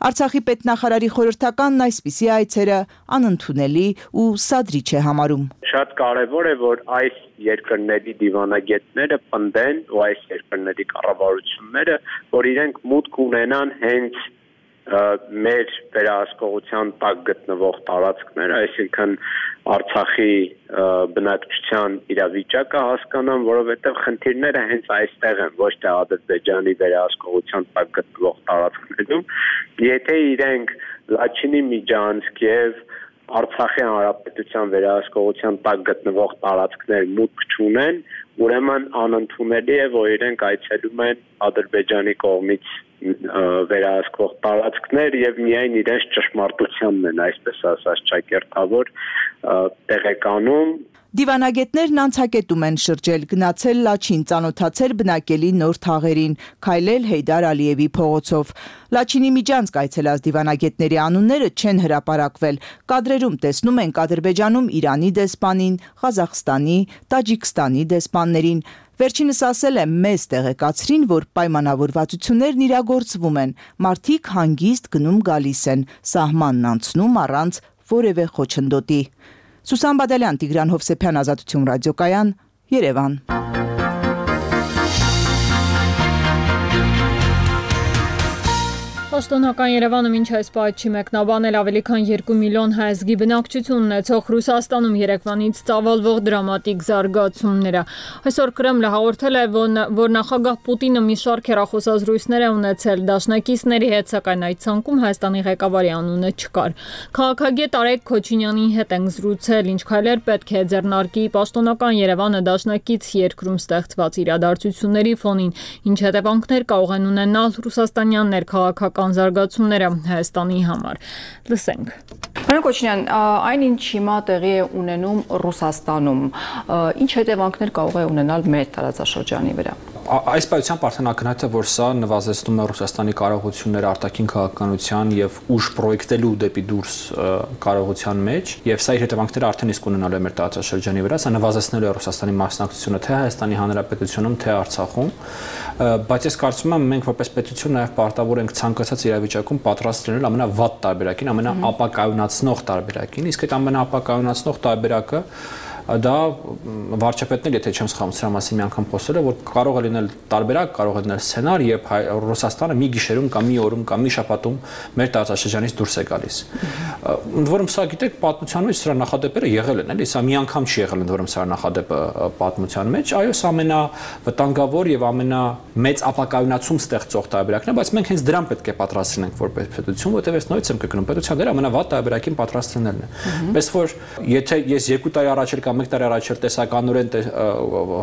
Արցախի պետնախարարի խորհրդականն այսպիսի այցերը անընդունելի ու սադրիչ է համարում։ Շատ կարևոր է, որ այս երկրների դիվանագետները պնդեն ու այս երկրների կառավարությունները, որ իրենք մուտք ունենան հենց մեր վերահսկողության տակ գտնվող տարածքներ, այսինքն Արցախի բնակչության իրավիճակը հասկանան, որովհետև խնդիրները հենց այստեղ են, ոչ թե Ադրբեջանի վերահսկողության տակ գտնվող տարածքներում։ Եթե իրենք Լաչինի միջանցք եւ Արցախի հանրապետության վերահսկողության տակ գտնվող տարածքներ մուտք չունեն, ուրեմն անընդունելի է, որ իրենք այցելում են Ադրբեջանի կողմից վերահսկվող տարածքներ եւ միայն իրենց ճշմարտությանն են, այսպես ասած, ճակերտավոր տեղեկանում։ Դիվանագետներն անցակետում են շրջել, գնացել Լաչին, ծանոթացել բնակելի նոր թաղերին, քայլել Հեյդար Ալիևի փողոցով։ Լաչինի միջանցք այցելած դիվանագետների անունները չեն հրապարակվել։ Կադրերում տեսնում ենք Ադրբեջանում Իրանի դեսպանին, Ղազախստանի, Տաջիկստանի դեսպաններին։ Վերջինս ասել է, մեզ տեղեկացրին, որ պայմանավորվածություններն իրագործվում են, մարդիկ հանգիստ գնում գալիս են, սահմանն անցնում առանց որևէ խոչընդոտի։ Սուսան Բադալյան, Տիգրան Հովսեփյան, Ազատություն ռադիոկայան, Երևան։ Պաշտոնական Երևանը մինչ այս պահը չի մեկնաբանել ավելի քան 2 միլիոն հայազգի բնակչություն ունեցող Ռուսաստանում երեկվանից ծավալվող դրամատիկ զարգացումները։ Այսօր Կրեմլը հաղորդել է, որ նախագահ Պուտինը մի շարք հեռախոսազրույցներ է ունեցել դաշնակիցների հետ, սակայն այդ ցանկում Հայաստանի ղեկավարի անունը չկար։ Քաղաքագետ Արեգ Քոչինյանի հետ ենք զրուցել, ինչ քայլեր պետք է ձեռնարկի Պաշտոնական Երևանը դաշնակից երկրում ստեղծված իրադարձությունների ֆոնին, ինչ հետևանքներ կարող են ունենալ ռուսաստանյան ներքաղաքական զարգացումները Հայաստանի համար։ Լսենք։ Պարոն Քոչինյան, այն ինչ հիմա տեղի է ունենում Ռուսաստանում, ինչ հետևանքներ կարող է ունենալ մեր տարածաշրջանի վրա։ Այս պայությամբ արդեն ակնհայտ է, որ սա նվազեցնում է Ռուսաստանի կարողությունները արտաքին քաղաքականության եւ ուժ պրոյեկտելու դեպի դուրս կարողության մեջ, եւ սա իր հետևանքները արդեն իսկ ունենալու է մեր տարածաշրջանի վրա, սա նվազեցնելու է Ռուսաստանի մասնակցությունը թե Հայաստանի Հանրապետությունում, թե Արցախում, բայց ես կարծում եմ մենք որպես պետություն նաեւ պարտավոր ենք ցանկացած իրավիճակում պատրաստ լինել ամենավատ տարբերակին, ամենաապակայունացնող տարբերակին, իսկ այդ ամենաապակայունացնող տարբերակը դա վարչապետն էլ, եթե չեմ սխալվում, սրա մասին մի անգամ խոսել է, որ կարող է լինել տարբերակ, կարող է լինել սցենար, երբ Ռուսաստանը մի գիշերում կամ մի օրում կամ մի շաբաթում մեր տարածաշրջանից դուրս է գալիս։ Ընդ որում սա գիտեք, պատմության մեջ սրա նախադեպերը եղել են, էլի, սա մի անգամ չի եղել, ընդ որում սրա նախադեպը պատմության մեջ, այո, սա ամենավտանգավոր եւ ամենամեծ ապակայունացում ստեղծող տարբերակն է, բայց մենք հենց դրան պետք է պատրաստ լինենք որպես պետություն, որտեղ ես նույնիսկ եմ կգնում, պետության դերը ամենավատ տարբերակին պատրաստ լինելն է։ Պես որ եթե ես 2 տարի առաջ կամ 1 տարի առաջ տեսականորեն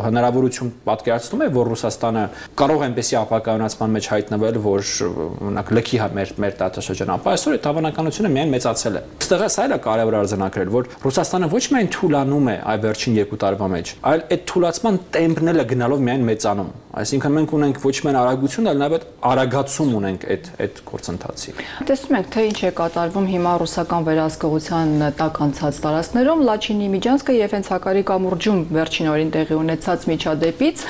հնարավորություն պատկերացնում է, որ Ռուսաստանը կարող է այնպեսի ապակայունացման մեջ հայտնվել, որ օրինակ լքի մեր տարածաշրջանը, ապա այսօր այդ հավանականությունը միայն մեծացել է։ Այստեղ սա էլ է կարևոր արձանագրել, որ Ռուսաստանը ոչ միայն թուլանում է այ վերջին 2 տարվա մեջ, այլ այդ թուլացման տեմպն էլ է գնալով միայն մեծանում։ Այսինքն մենք ունենք ոչ միայն արագություն, այլ նաև արագացում ունենք այդ գործընթացի։ Տեսնում ենք, թե ինչ է կատարվում հիմա ռուսական վերահսկողության տակ անցած տարածքներում, Լաչինի միջանցքը եւ հենց Հակարի կամուրջում վերջին օրին տեղի ունեցած միջադեպից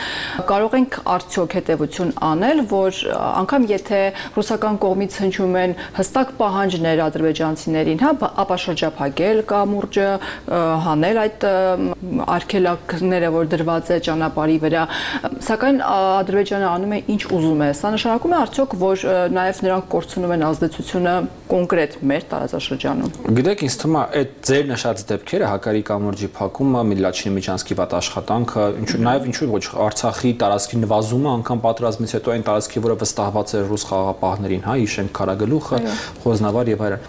կարող ենք արդյոք հետեւություն անել, որ անգամ եթե ռուսական կողմից հնչում են հստակ պահանջներ ադրբեջանցիներին, հա, ապա շրջափակել կամուրջը, հանել այդ արգելակները, որ դրված է ճանապարհի վրա, սակայն Ադրբեջանը անում է ինչ ուզում է։ Սա նշանակում է արդյոք, որ նաև նրանք կորցնում են ազդեցությունը կոնկրետ մեր տարածաշրջանում։ Գիտեք, ինձ թվում է այդ ձեր նշած դեպքերը Հակարի կամուրջի փակումը, Լաչինի միջանցքի վատ աշխատանքը, նաև ինչու ոչ Արցախի տարածքի նվազումը անգամ պատերազմից հետո այն տարածքի, որը վստահված է ռուս խաղաղապահներին, հա, Իշենք Քարագլուխը, Խոզնավար եւ այլն։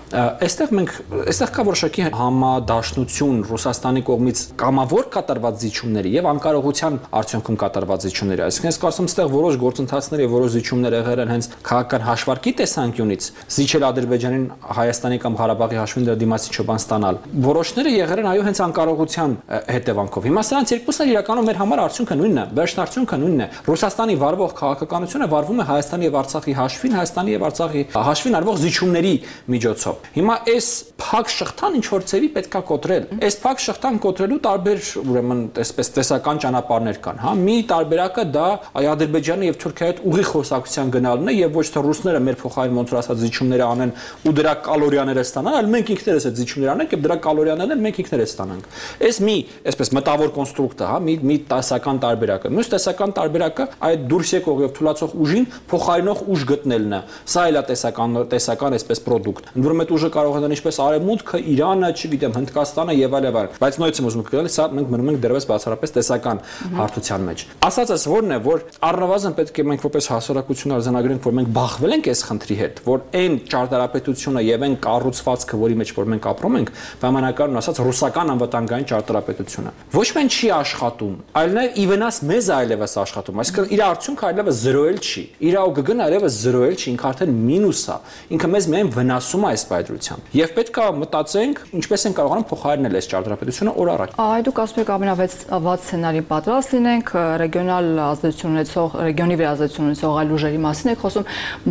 Այստեղ կա որոշակի համադաշնություն Ռուսաստանի կողմից կամավոր կատարված զիջումների եւ անկարողության արդյունքում կատարված զիջումների։ Այսինքն ես կարծում եմ, այստեղ որոշ գործընթացներ եւ որոշ զիջումներ եղել են հենց քաղաքական հաշվարկի տեսանկյունից, զիջել Ադրբեջանին Հայաստանի կամ Ղարաբաղի հաշվին դրա դիմացի չոբան ստանալ։ Որոշները եղել են այո հենց անկարողության հետևանքով։ Հիմա սրանց երկուսն էլ իրականում մեր համար արդյունքը նույնն է, վերջնարդյունքը նույնն է։ Ռուսաստանի վարվող քաղաքականությունը վարվում է Հայաստանի եւ Արցախի հաշվին, Հայաստանի եւ Արցախի հաշվին արվող զիջումների միջոցով։ Հիմա այս փակ շղթան ինչ որ ծևի պետքա կոտրել։ Այս փակ շղթան կոտրելու տարբեր, ուրեմն, այսպես տեսական ճանապարհներ կան, հա։ Մի տարբերակը դա Ադրբեջանի եւ Թուրքիայի հետ ուղիղ խոսակցության գնալն է եւ ոչ թե ռուսները մեր փոխարեն ոնց որ ասած զիջումներ անեն ու դրա կալորիաները ստանան, այլ մենք ինքներս այդ զիջումներ անենք եւ դրա կալորիաներն մենք ինքներս ստանանք։ Այս մի, այսպես մտավոր կոնստրուկտ է, հա, մի տեսական տարբերակը։ Մյուս տեսական տարբերակը այդ դուրս եկող եւ թուլացող ուժին փոխարինող ուժ գտնելն է։ Սա էլ է տեսական այսպես product։ Ընդ որում այդ ուժը կարող է լինել ինչպես Արևմուտքը, Իրանը, չգիտեմ, Հնդկաստանը եւ այլ եւ այլ։ Բայց նույնիսկ ուզում եք գալ, սա մենք մնում ենք դեռևս բացառապես տեսական հարթության մեջ։ Ասածս որն է, որ առնվազն պետք է մենք որպես հասարակություն արձանագրենք, որ մենք բախվել ենք այս խնդրի հետ, որ այն ճարտարապետությունը եւ այն կառուցվածքը, որի մեջ որ մենք ապրում ենք, բանականon ասած ռուսական անվտանգային ճարտարապետությունը ոչ միայն չի աշխատում, այլ նաեւ ի վնաս մեզ այլևս աշխատում, այսինքն իր արդյունքը այլևս 0-ել չի, իր ոգգն այլևս 0-ել չի, ինքը արդեն մինուս է, ինքը մեզ միայն վնասում է այս պայծրությամբ եւ պետք է մտածենք ինչպես են կարողանում փոխարինել այս ճարտարապետությունը օր առաջ։ Այ դուք ասում եք ամենավատ սցենարի պատրաստ լինենք, ռեգիոնալ ազդեցություն ունեցող, ռեգիոնի վրա ազդեցություն ունեցող այլ ուժերի մասին եք խոսում,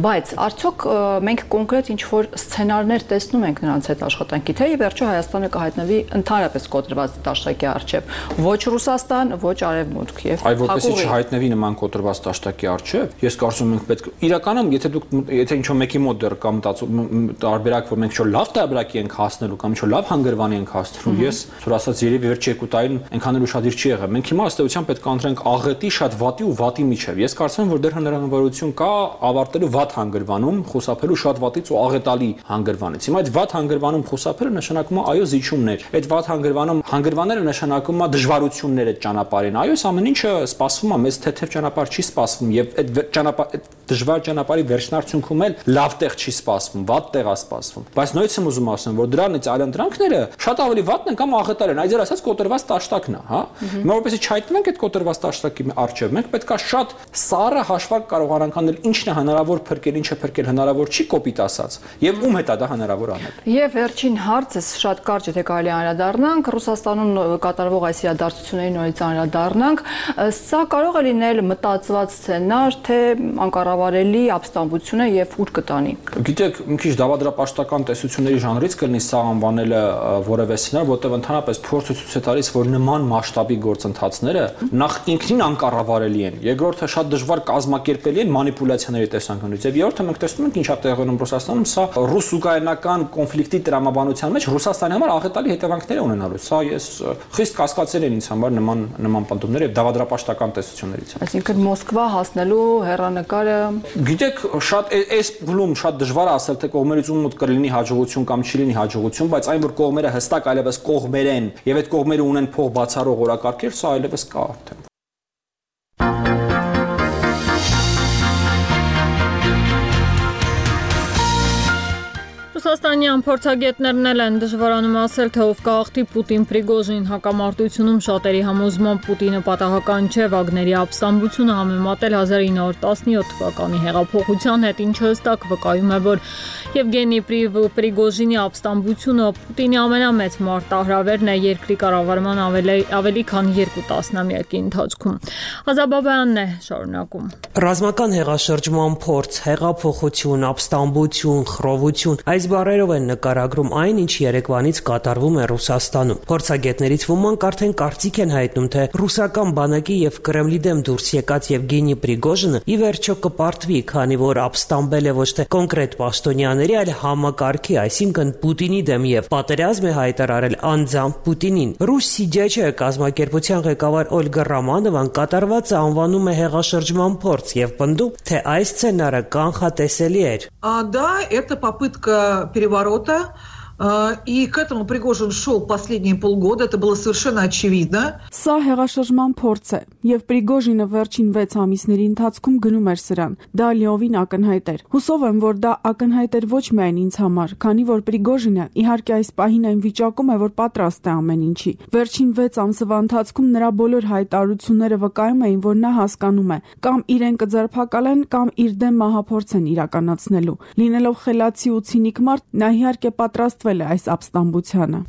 բայց արդյոք մենք կոնկրետ ինչ որ սցենարներ տեսնում ենք նրանց հետ աշխատանքի, թե ի վերջո Հայաստանը կհայտնվի ընդհանրապես կոտրված դաշտակի առջև, ոչ Ռուսաստան, ոչ Արևմուտք եւ այ որպեսզի չհայտնվի նման կոտրված դաշտակի առջև, ես կարծում եմ պետք իրականում եթե ինչ-որ մեկի մոտ դեռ կամ տարբերակ որ մենք ինչ-որ լավ տարբերակի ենք հասնելու կամ ինչ-որ լավ հանգրվանի ենք հասնելու, ես որ ասած երևի վերջի 2 տարին այնքան էլ ուշադիր չի եղել։ Մենք հիմա ըստեյության պետք է ընտրենք աղետի շատ վատի ու վատի միջև։ Ես կարծում եմ որ դեռ հնարավորություն կա ավարտելու վատ հանգրվանում, խուսափելու շատ վատից ու աղետալի հանգրվանից։ Հիմա այդ վատ հանգրվանում խուսափելը նշանակում է այո զիջումներ։ Այդ վատ հանգրվանում հանգրվանները նշանակում է դժվարություններ այդ ճանապարհին։ Այո, ամեն ինչը սպասվում է, մեզ թեթև ճանապարհ չի սպասվում եւ այդ դժվար ճանապարհի վերջնարդյունքում էլ լավ տեղ չի սպասվում, վատ տեղ է սպասվում։ Բայց նույնիսկ եմ ուզում ասեմ, որ դրանից այլընտրանքները շատ ավելի վատն են կամ աղետալ են, այդեր ասած կոտրված տաշտակն է, հա։ Հիմա որպեսզի չհայտնվենք այդ կոտրված տաշտակի առջև, մենք պետքա շատ սառը հաշվարկ կարողանանք անել ինչն է հնարավոր փրկել, ինչը փրկել հնարավոր չի կոպիտ ասած, եւ ում հետ է դա հնարավոր անել։ Եվ վերջին հարցս շատ կարճ եթե կարելի անդրադառնանք Ռուսաստանում կատարվող այս իրադարձությունների նորից անդրադառնանք, սա կարող է լինել մտածված սցենար, թե անկառավարելի ապստամբություն է եւ ուր կտանի։ Գիտեք, մի քիչ դավադրապաշտական տեսությունների ժանրից կլինի սա անվանելը որևէ սցենար, որտեղ ընդհանրապես փորձը ցույց է տալիս, որ նման մասշտաբի գործընթացները նախ ինքնին անկառավարելի են, երկրորդը շատ դժվար կազմակերպելի են մանիպուլյացիաների տեսանկյունից, եւ երրորդը մենք տեսնում ենք ինչ է տեղի ունենում Ռուսաստանում, սա ռուս-ուկրաինական կոնֆլիկտի տրամաբանության մեջ Ռուսաստանի համար աղետալի հետևանքներ է ունենալու։ Սա ես խիստ կասկածել են ինձ համար նման պնդումներ եւ դավադրապաշտական տեսություններից։ Այսինքն Մոսկվա հասնելու հեռանկարը գիտեք, շատ այս փուլում շատ դժվար է ասել, թե կողմերից ում մոտ կլինի հաջողություն կամ չի լինի հաջողություն, բայց այն որ կողմերը հստակ այլևս կողմեր են եւ այդ կողմերը ունեն փող բացառող օրակարգեր, սա այլևս կա արդեն։ Ռուսաստանյան փորձագետներն էլ են դժվարանում ասել, թե ով կհաղթի Պուտին-Պրիգոժին հակամարտությունում շատերի համոզմամբ Պուտինը պատահական չէ Վագների ապստամբությունը համեմատել 1917 թվականի հեղափոխության հետ, ինչը հստակ վկայում է, որ Եվգենի Պրիգոժինի ապստամբությունը Պուտինի ամենամեծ մարտահրավերն է երկրի կառավարման ավելի քան 2 տասնամյակի ընթացքում։ Ղազաբաբյանն է շարունակում։ Ռազմական հեղաշրջման փորձ, հեղափոխություն, ապստամբություն, խռովություն այս բառերով են նկարագրում այն, ինչ երեկվանից կատարվում է Ռուսաստանում։ Փորձագետներից ոմանք արդեն կարծիք են հայտնում, թե ռուսական բանակի եւ Կրեմլի դեմ դուրս եկած Եվգենի Պրիգոժինը ի վերջո կպարտվի, քանի որ ապստամբել է ոչ թե կոնկրետ պաշտոնյաների, այլ համակարգի, այսինքն Պուտինի դեմ եւ պատերազմ է հայտարարել անձամբ Պուտինին։ Ռուս Սիդիաչը կազմակերպության ղեկավար Օլգա Ռամանովան կատարվածը անվանում է հեղաշրջման փորձ եւ պնդում, թե այս սցենարը կանխատեսելի էր։ Да, это попытка переворота. И к этому Пригожин шел последние полгода, это было совершенно очевидно. Սա հեղաշրջման փորձ է, եւ Պրիգոժինը վերջին 6 ամիսների ընթացքում գնում էր սրան։ Դա լիովին ակնհայտ էր։ Հուսով եմ, որ դա ակնհայտ էր ոչ միայն ինձ համար, քանի որ Պրիգոժինը իհարկե այս պահին այն վիճակում է, որ պատրաստ է ամեն ինչի։ Վերջին 6 ամսվա ընթացքում նրա բոլոր հայտարարությունները վկայում էին, որ նա հասկանում է, կամ իրեն կձերբակալեն, կամ իր դեմ մահափորձ են իրականացնելու։ Լինելով խելացի ու ցինիկ մարդ, նա իհարկե պատրաստ օգտվել է այս ապստամբությանը։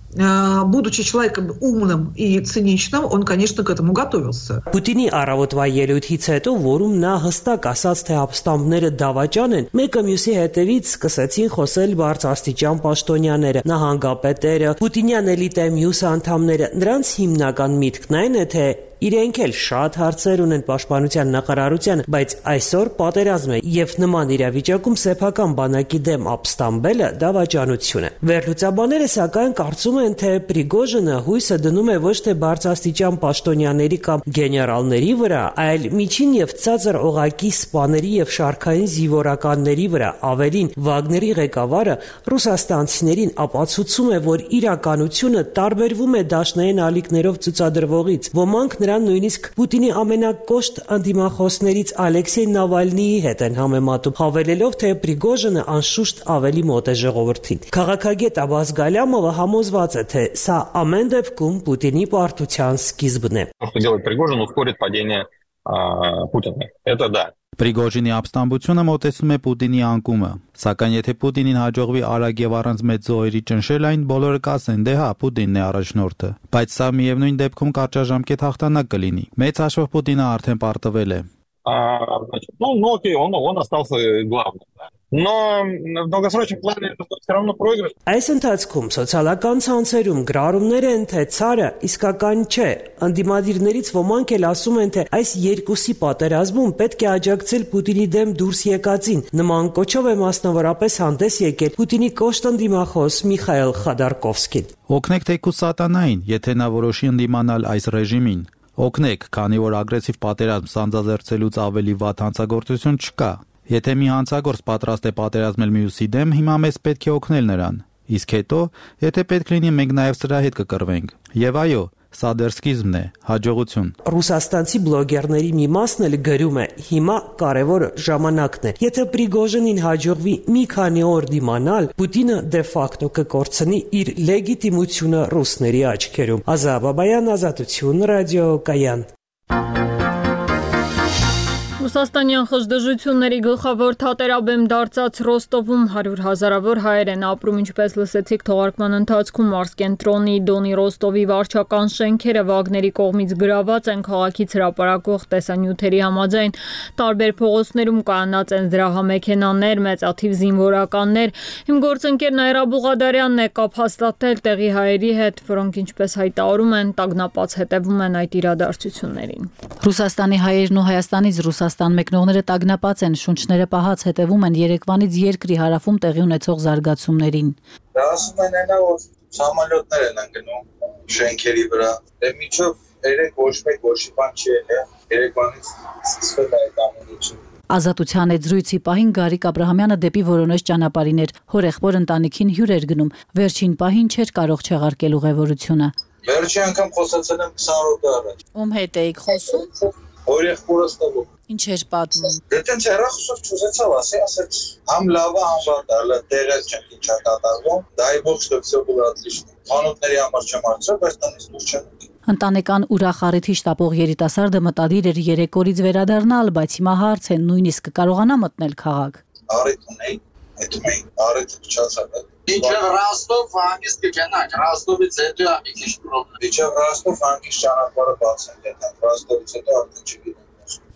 Будучи человеком умным и циничным, он, конечно, к этому готовился. Պուտինի առավոտվա ելույթից հետո, որում նա հստակ ասաց, թե ապստամբները դավաճան են, մեկը մյուսի հետևից սկսեցին խոսել բարձրաստիճան պաշտոնյաները, նահանգապետերը, Պուտինյան էլիտայի մյուս անդամները։ Նրանց հիմնական միտքն այն է, թե իրենք էլ շատ հարցեր ունեն պաշտպանության նախարարության, բայց այսօր պատերազմ է եւ նման իրավիճակում սեփական բանակի դեմ ապստամբելը դավաճանություն է։ Վերլուծաբանները սակայն կարծում են, թե Պրիգոժինը հույսը դնում է ոչ թե բարձրաստիճան պաշտոնյաների կամ գեներալների վրա, այլ միջին եւ ցածր օղակի սպաների եւ շարքային զինվորականների վրա։ Ավելին, Վագների ղեկավարը ռուսաստանցիներին ապացուցում է, որ իրականությունը տարբերվում է դաշնային ալիքներով ցուցադրվողից։ Ոմանք նրան նույնիսկ Պուտինի ամենակոշտ անդիմախոսներից Ալեքսեյ Նավալնիի հետ են համեմատում, հավելելով, թե Պրիգոժինը անշուշտ ավելի մոտ է ժողովրդին։ Քաղաքագետ Աբաս Գալյամովը համոզված է, թե սա ամեն դեպքում Պուտինի պարտության սկիզբն է։ Պրիգոժինի ապստամբությունը մոտեցնում է Պուտինի անկումը, սակայն եթե Պուտինին հաջողվի արագ եւ առանց մեծ զոհերի ճնշել այն, բոլորը կասեն, դե հա, Պուտինն է առաջնորդը, բայց սա միևնույն дեպքում կարճաժամկետ հաղթանակ կլինի։ Մեծ հաշվով Պուտինը արդեն պարտվել է։ Но в долгосрочном плане это все равно проигрыш. Այս ընթացքում սոցիալական ցանցերում գրառումներ են, թե ցարը իսկական չէ։ Անդիմադիրներից ոմանք էլ ասում են, թե այս երկուսի պատերազմում պետք է աջակցել Պուտինի դեմ դուրս եկածին։ Նման կոչով է մասնավորապես հանդես եկել Պուտինի կոշտ անդիմախոս Միխայել Խադարկովսկին։ Օգնեք թեկուզ սատանային, եթե նա որոշի ընդդիմանալ այս ռեժիմին։ Օգնեք, քանի որ ագրեսիվ պատերազմ սանձազերծելուց ավելի վատ հանցագործություն չկա։ Եթե մի հանցագործ պատրաստ է պատերազմել մյուսի դեմ, հիմա մեզ պետք է օգնել նրան։ Իսկ հետո, եթե պետք լինի, մենք նաև սրա հետ կկռվենք։ Եվ այո, սա դեռ սկիզբն է, հաջողություն։ Ռուսաստանցի բլոգերների մի մասն էլ գրում է. հիմա կարևորը ժամանակն է։ Եթե Պրիգոժինին հաջողվի մի քանի օր դիմանալ, Պուտինը դե ֆակտո կկորցնի իր լեգիտիմությունը ռուսների աչքերում։ Ազա Բաբայան, Ազատություն, Ռադիո Կայան։ Ռուսաստանյան խժդժությունների գլխավոր թատերաբեմ դարձած Ռոստովում 100 հազարավոր հայեր են ապրում, ինչպես լսեցիք թողարկման ընթացքում Մարսկենտրոնի Դոնի Ռոստովի վարչական շենքերը Վագների կողմից գրաված են քաղաքից հրապարակող տեսանյութերի համաձայն, տարբեր փողոցներում կայանած են զրահամեքենաներ, մեծաթիվ զինվորականներ։ Իմ գործընկեր Նայրա Բուղադարյանն է կապ հաստատել տեղի հայերի հետ, որոնք ինչպես հայտարարում են, տագնապած հետևում են այդ իրադարձություններին։ Ռուսաստանի հայերն ու Հայաստանից Ռուսաստան մեկնողները տագնապած են, շունչները պահած հետևում են երեկվանից երկրի հարավում տեղի ունեցող զարգացումներին։ Դա ասում են այնա, որ սամոլյոտներ են ընկնում շենքերի վրա։ Դե միջով 3 ոչ մեկ ոչի բան չի եղել, երեկվանից սկսվել է այդ ամենը։ Ազատության այդ զրույցի պահին Գարիկ Աբրահամյանը դեպի Որոնեժ ճանապարհին էր, հորեղբոր ընտանիքին հյուր էր գնում, վերջին պահին չէր կարող չեղարկել ուղևորությունը։ Վերջի անգամ խոսացել եմ 20 րոպե առաջ։ Ում հետ էիք խոսում։ Հորեղբորս տվով։ Ինչ էր պատմում։ Դե տենց հեռախոսով չուզեցավ ասեց, համ լավա, համ վատա, տեղը չենք ինչա կատարվում, դայ ողջ դեպ всё было отлично։ Անոթների համար չեմ արծրել, բայց տնից դուրս չեմ։ Ընտանեկան ուրախ առիթի շտապող երիտասարդը մտադիր էր 3 օրից վերադառնալ, բայց հիմա հարց է նույնիսկ կարողանա մտնել քաղաք։ Առիթ ունեի, այդում էի, առիթը փչացավ։ Իջավ Ռոստով հանգիստ կգնանք, Ռոստովից հետո է մի քիչ պրոբլեմ։ Իջավ Ռոստով հանգիստ ճանապարհը բաց են դեռ, Ռոստովից հետո արդեն չգիտեմ։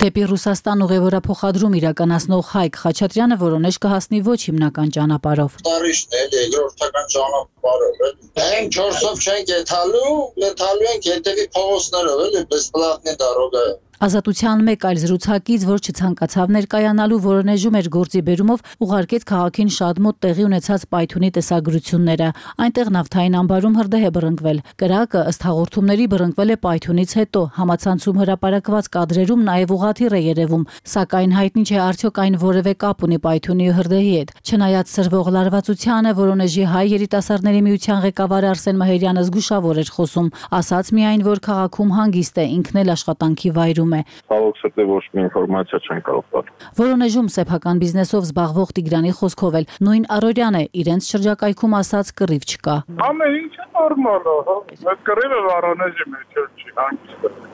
Դեպի Ռուսաստան ուղևորափոխադրում իրականացնող Հայկ Խաչատրյանը Որոնեժ կհասնի ոչ հիմնական ճանապարհով։ Տարիշն է, երկրորդական ճանապարհով է։ Մենք 4-ով չենք եթալու ենք հետևի փողոցներով, էլի, բեսպլատնի դարոգա է։ Ազատության մեկ այլ զրուցակից, որ չցանկացավ ներկայանալու Որոնեժում էր գործի բերումով, ուղարկեց քաղաքին շատ մոտ տեղի ունեցած պայթյունի տեսագրությունները։ Այնտեղ նավթային ամբարում հրդեհ է բռնկվել։ Կրակը ըստ հաղորդումների բռնկվել է պայթյունից հետո։ Համացանցում հրապարակված կադրերում նաև ուղղաթիռ է երևում, սակայն հայտնի չէ արդյոք այն որևէ կապ ունի պայթյունի ու հրդեհի հետ։ Չնայած սրվող լարվածությանը, Որոնեժի հայ երիտասարդների միության ղեկավար Արսեն Մահերյանը զգուշավոր էր խոսում, ասաց միայն, որ քաղաքում հանգիստ է, ինքն էլ աշխատանքի վայրում։ Ցավոք սրտի ոչ մի ինֆորմացիա չեն կարող տալ։ Որոնեժում սեփական բիզնեսով զբաղվող Տիգրանի խոսքով էլ նույն առօրյան է, իրենց շրջակայքում ասած կռիվ չկա։ Ամեն ինչը նորմալ է, հա։ Այդ կռիվը Որոնեժի մեջ չի հանգիստ։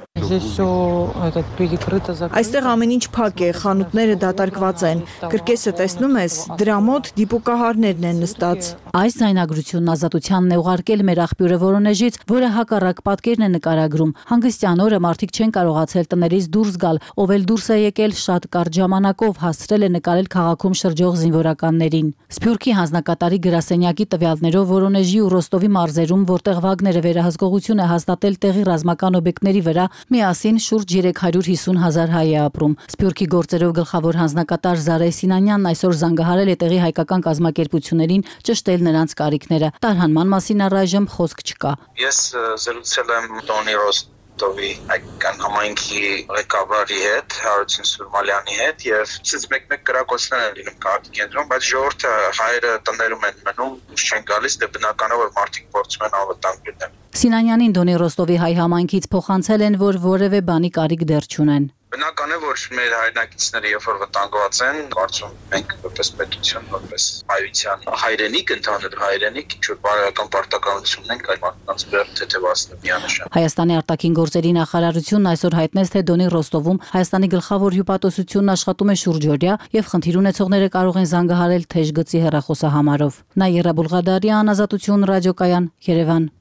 Այստեղ ամեն ինչ փակ է, խանութները դատարկված են։ Կրկեսը տեսնում ես, դրա մոտ դիպուկահարներն են նստած։ Այս ձայնագրությունն ազատությանն է ուղարկել մեր աղբյուրը Վորոնեժից, որը հակառակ պատկերն է նկարագրում։ Հանգստյան օրը մարդիկ չեն կարողացել տներից դուրս գալ, ով էլ դուրս է եկել շատ կարճ ժամանակով, հասցրել է նկարել քաղաքում շրջող զինվորականներին։ Սփյուռքի հանձնակատարի գրասենյակի տվյալներով Վորոնեժի ու Ռոստովի մարզերում, որտեղ Վագները վերահսկողություն է հաստատել տեղի ռազմական օբյեկտների վրա, միասին շուրջ 350,000 հայ է ապրում։ Սփյուռքի գործերով գլխավոր հանձնակատար Զարե Սինանյանն այսօր զանգահարել է տեղի հայկական կազմակերպություններին ճշտել նրանց կարիքները։ Տարհանման մասին առայժմ խոսք չկա։ Ես զրուցել եմ Տոնի Ռոստովի հայկական համայնքի ղեկավարի հետ, Հարություն Սուրմալյանի հետ, եւ մեկ-մեկ կրակոցներ են լինում քաղաքի կենտրոնում, բայց ժողովուրդը հայերը տներում են մնում, դուրս չեն գալիս, դե բնական է որ մարդիկ փորձում են անվտանգ լինել։ Սինանյանին Դոնի Ռոստովի հայ համայնքից փոխանցել են, որ որևէ բանի կարիք դեռ չունեն։ Բնական է, որ մեր հայրենակիցները երբ որ վտանգված են, կարծում մենք որպես պետություն, որպես հայության հայրենիք, ընդհանուր հայրենիք, ինչ որ բարոյական պարտականություն ունենք այդ մարդկանց վրա թեթևացնել միանշան։ Հայաստանի արտաքին գործերի նախարարությունն այսօր հայտնեց, թե Դոնի Ռոստովում Հայաստանի գլխավոր հյուպատոսությունն աշխատում է շուրջօրյա եւ խնդիր ունեցողները կարող են զանգահարել թեժ գծի հեռախոսահամարով։ Նաիրա Բուլղադարյան, Ազատություն ռադիոկայան, Երևան։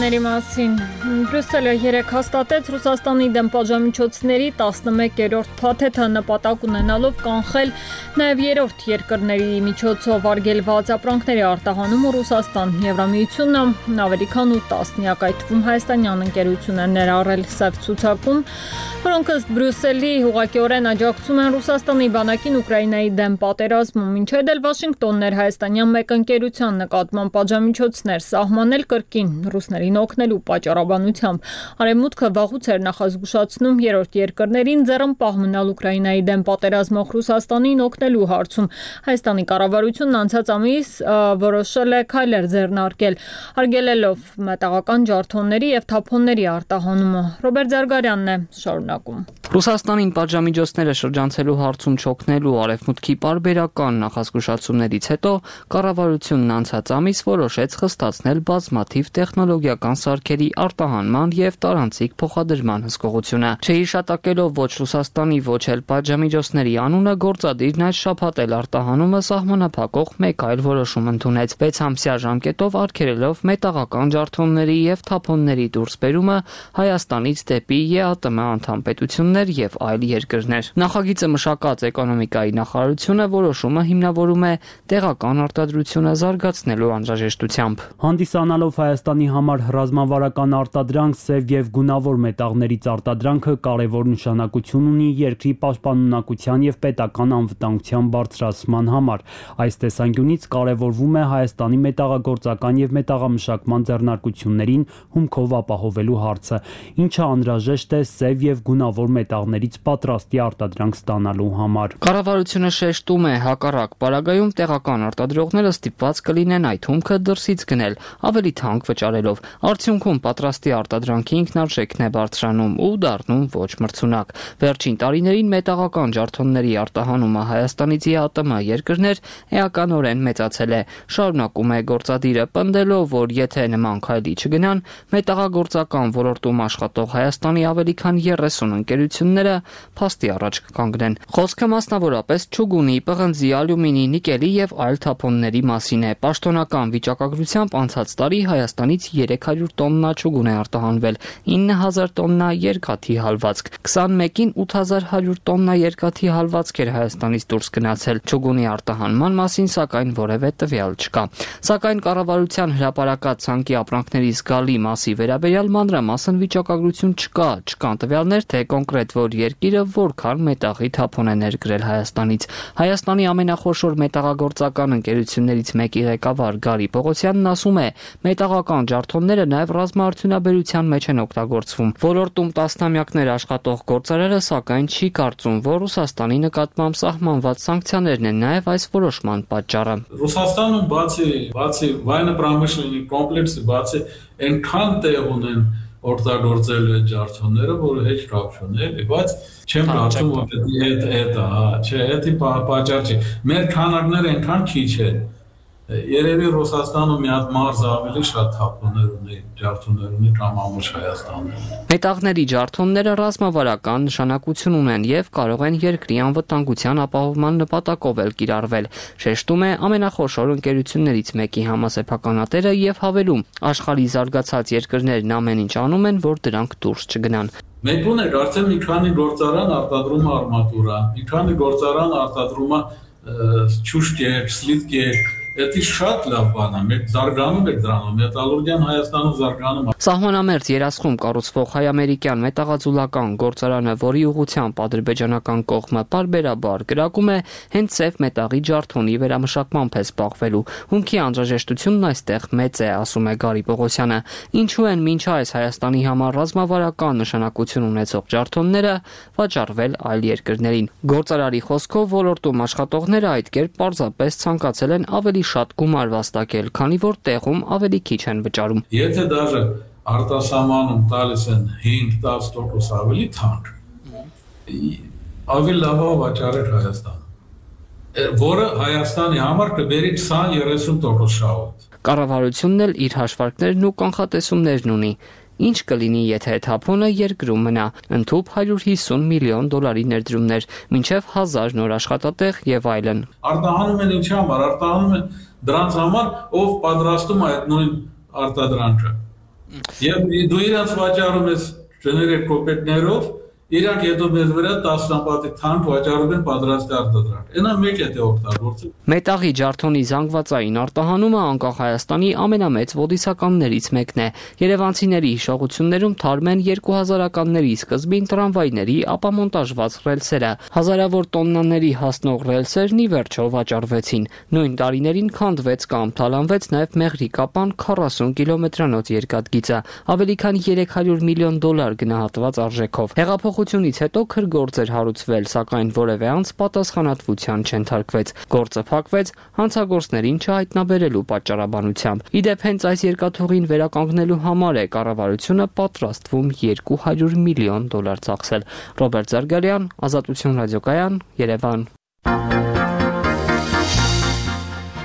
Թեմաների մասին Բրյուսելը երեկ հաստատեց Ռուսաստանի դեմ պատժամիջոցների 11-րդ փաթեթը նպատակ ունենալով կանխել նաև երրորդ երկրների միջոցով արգելված ապրանքների արտահանում ու Ռուսաստան։ Եվրամիությունն ավելի քան 8 տասնյակ այդ թվում հայաստանյան ընկերություն են ներառել սև ցուցակում, որոնք ըստ Բրյուսելի ուղղակիորեն աջակցում են Ռուսաստանի բանակին Ուկրաինայի դեմ պատերազմում, ինչ էլ Վաշինգտոնն էր հայաստանյան մեկ ընկերության նկատմամբ պատժամիջոցներ սահմանել կրկին ռուսներին օգնելու պատճառաբանությամբ։ Արևմուտքը վաղուց էր նախազգուշացնում երրորդ երկրներին ձեռնպահ մնալ Ուկրաինայի դեմ պատերազմող Ռուսաստանին օգնելու հարցում։ Հայաստանի կառավարությունն անցած ամիս որոշել է քայլեր ձեռնարկել, արգելելով մետաղական ջարդոնների եւ թափոնների արտահանումը։ Ռոբերտ Զարգարյանն է շարունակում։ Ռուսաստանին պատժամիջոցները շրջանցելու հարցում չօգնելու արևմուտքի պարբերական նախազգուշացումներից հետո կառավարությունն անցած ամիս որոշեց խստացնել բազմաթիվ տեխնոլոգիական սարքերի արտահանման եւ տարանցիկ փոխադրման հսկողությունը։ Չհիշատակելով ոչ Ռուսաստանի, ոչ էլ պատժամիջոցների անունը, գործադիրն այս շաբաթ էլ արտահանումը սահմանափակող մեկ այլ որոշում ընդունեց 6 ամսյա ժամկետով արգելելով մետաղական ջարդոնների եւ թափոնների դուրսբերումը Հայաստանից դեպի ԵԱՏՄ անդամ պետություններ եւ այլ երկրներ։ Նախագիծը մշակած էկոնոմիկայի նախարարությունը որոշումը հիմնավորում է տեղական արտադրությունը զարգացնելու անհրաժեշտությամբ։ Հանդիսանալով Հայաստանի համար ռազմավարական արտադրանք, սև եւ գունավոր մետաղներից արտադրանքը կարևոր նշանակություն ունի երկրի պաշտպանունակության եւ պետական անվտանգության բարձրացման համար։ Այս տեսանկյունից կարևորվում է Հայաստանի մետաղագործական եւ մետաղամշակման ձեռնարկություններին հումքով ապահովելու հարցը, ինչը անհրաժեշտ է սև եւ գունավոր մետաղներից պատրաստի արտադրանք ստանալու համար։ Կառավարությունը շեշտում է, հակառակ պարագայում տեղական արտադրողները ստիպված կլինեն այդ հումքը դրսից գնել, ավելի թանկ վճարելով։ Արդյունքում պատրաստի արտադրանքի ինքնարժեքն է բարձրանում ու դառնում ոչ մրցունակ։ Վերջին տարիներին մետաղական ջարդոնների արտահանումը Հայաստանից ԵԱՏՄ երկրներ էականորեն մեծացել է։ Շարունակում է գործադիրը պնդելով, որ եթե նման քայլի չգնան, մետաղագործական ոլորտում աշխատող Հայաստանի ավելի քան 30 ընկերությունները փաստի առաջ կկանգնեն։ Խոսքը մասնավորապես չուգունի, պղնձի, ալյումինի, նիկելի եւ այլ թափոնների մասին է։ Պաշտոնական վիճակագրությամբ անցած տարի Հայաստանից 300 տոննա չուգուն է արտահանվել, 9000 տոննա երկաթի հալվածք, 21-ին 8100 տոննա երկաթի հալվածք էր Հայաստանից դուրս գնացել։ Չուգունի արտահանման մասին սակայն որևէ տվյալ չկա։ Սակայն կառավարության հրապարակած ցանկի ապրանքների զգալի մասի վերաբերյալ մանրամասն վիճակագրություն չկա, չկան տվյալներ, թե կոնկրետ որ երկիրը որքան մետաղի թափոն է ներկրել Հայաստանից։ Հայաստանի ամենախոշոր մետաղագործական ընկերություններից մեկի ղեկավար Գարի Պողոսյանն ասում է, մետաղական ջարդոնները նաև ռազմաարդյունաբերության մեջ են օգտագործվում։ Ոլորտում տասնամյակներ աշխատող գործարարը սակայն չի կարծում, որ Ռուսաստանի նկատմամբ սահմանված սանկցիաներն են նաև այս որոշման պատճառը։ Ռուսաստանը բացի военно-промышленный կոմպլեքսը, բացի այնքան տեղ ունեն օգտագործել այդ ջարդոնները, որը heç կապ չունի, բայց չեմ կարծում, որ դա չէ, դա պատճառ չի։ Մեր քանակները այնքան քիչ են, Երևի Ռուսաստանը մի հատ մարզ ավելի շատ թափուներ ունի, ջարդուներ ունի կամ ամուր Հայաստանը։ Մետաղների ջարդոնները ռազմավարական նշանակություն ունեն եւ կարող են երկրի անվտանգության ապահովման նպատակով էլ կիրառվել, շեշտում է ամենախոշոր ընկերություններից մեկի համասեփականատերը եւ հավելում. աշխարհի զարգացած երկրներն ամեն ինչ անում են, որ դրանք դուրս չգնան։ Մենք ունենք արդեն մի քանի գործարան արտադրում է արմատուրա, մի քանի գործարան արտադրում է չուշկեր, սլիտկեր, դա շատ լավ բան է, մենք զարգանում ենք դրանով, մետալուրգիան Հայաստանում զարգանում է։ Սահմանամերձ երասխում կառուցվող հայ-ամերիկյան մետաղաձուլական գործարանը, որի ուղղությամբ ադրբեջանական կողմը պարբերաբար կրակում է, հենց ծև մետաղի ջարդոնի վերամշակմամբ է զբաղվելու։ Հումքի անհրաժեշտությունն այստեղ մեծ է, ասում է Գարի Պողոսյանը։ Ինչու են մինչ այս Հայաստանի համար ռազմավարական նշանակություն ունեցող ջարդոնները վաճառվել այլ երկրներին։ Գործարարի խոսքով ոլորտում աշխատողները այդ կերպ պարզապես ցանկացել են ավելի շատ գումար վաստակել, քանի որ տեղում ավելի քիչ են վճարում։ Եթե դաժե արտասահմանում տալիս են 5-10% ավելի թանկ, ավելի լավ վաճառել Հայաստան, որը Հայաստանի համար կբերի 20-30% շահույթ։ Կառավարությունն էլ իր հաշվարկներն ու կանխատեսումներն ունի։ Ինչ կլինի, եթե թափոնը երկրում մնա, ընդհուպ $150 միլիոն ներդրումներ, մինչև 1000 նոր աշխատատեղ եւ այլն։ Արտահանում են ինչի համար, արտահանում են դրանց համար, ով պատրաստում է այդ նույն արտադրանքը։ Եվ դու իրանց վաճառում ես ժեներիկ կոպեկներով, իրանք հետո մեզ վրա 10-ը թանկ վաճառում են պատրաստ արտադրանք։ Այնա մեկ է դե օգտագործել։ Մետաղի ջարդոնի զանգվածային արտահանումը անկախ Հայաստանի ամենամեծ ոդիսականներից մեկն է։ Երևանցիների հիշողություններում թարմ են 2000-ականների սկզբին տրամվայների ապամոնտաժված ռելսերը։ Հազարավոր տոննաների հասնող ռելսերն ի վերջո վաճառվեցին։ Նույն տարիներին քանդվեց կամ թալանվեց նաև Մեղրիկապան 40 կիլոմետրանոց երկաթգիծը, ավելի քան $300 միլիոն գնահատված արժեքով։ Հեղափոխությունից հետո քրգործ էր հարուցվել, սակայն որևէ անձ պատասխանատվության չենթարկվեց։ Գործը փակվեց հանցագործներին չհայտնաբերելու պատճառաբանությամբ։ Իդեպ հենց այս երկաթուղին վերականգնելու համար է կառավարությունը պատրաստվում $200 միլիոն ծախսել։ Ռոբերտ Զարգարյան, Ազատություն ռադիոկայան, Երևան։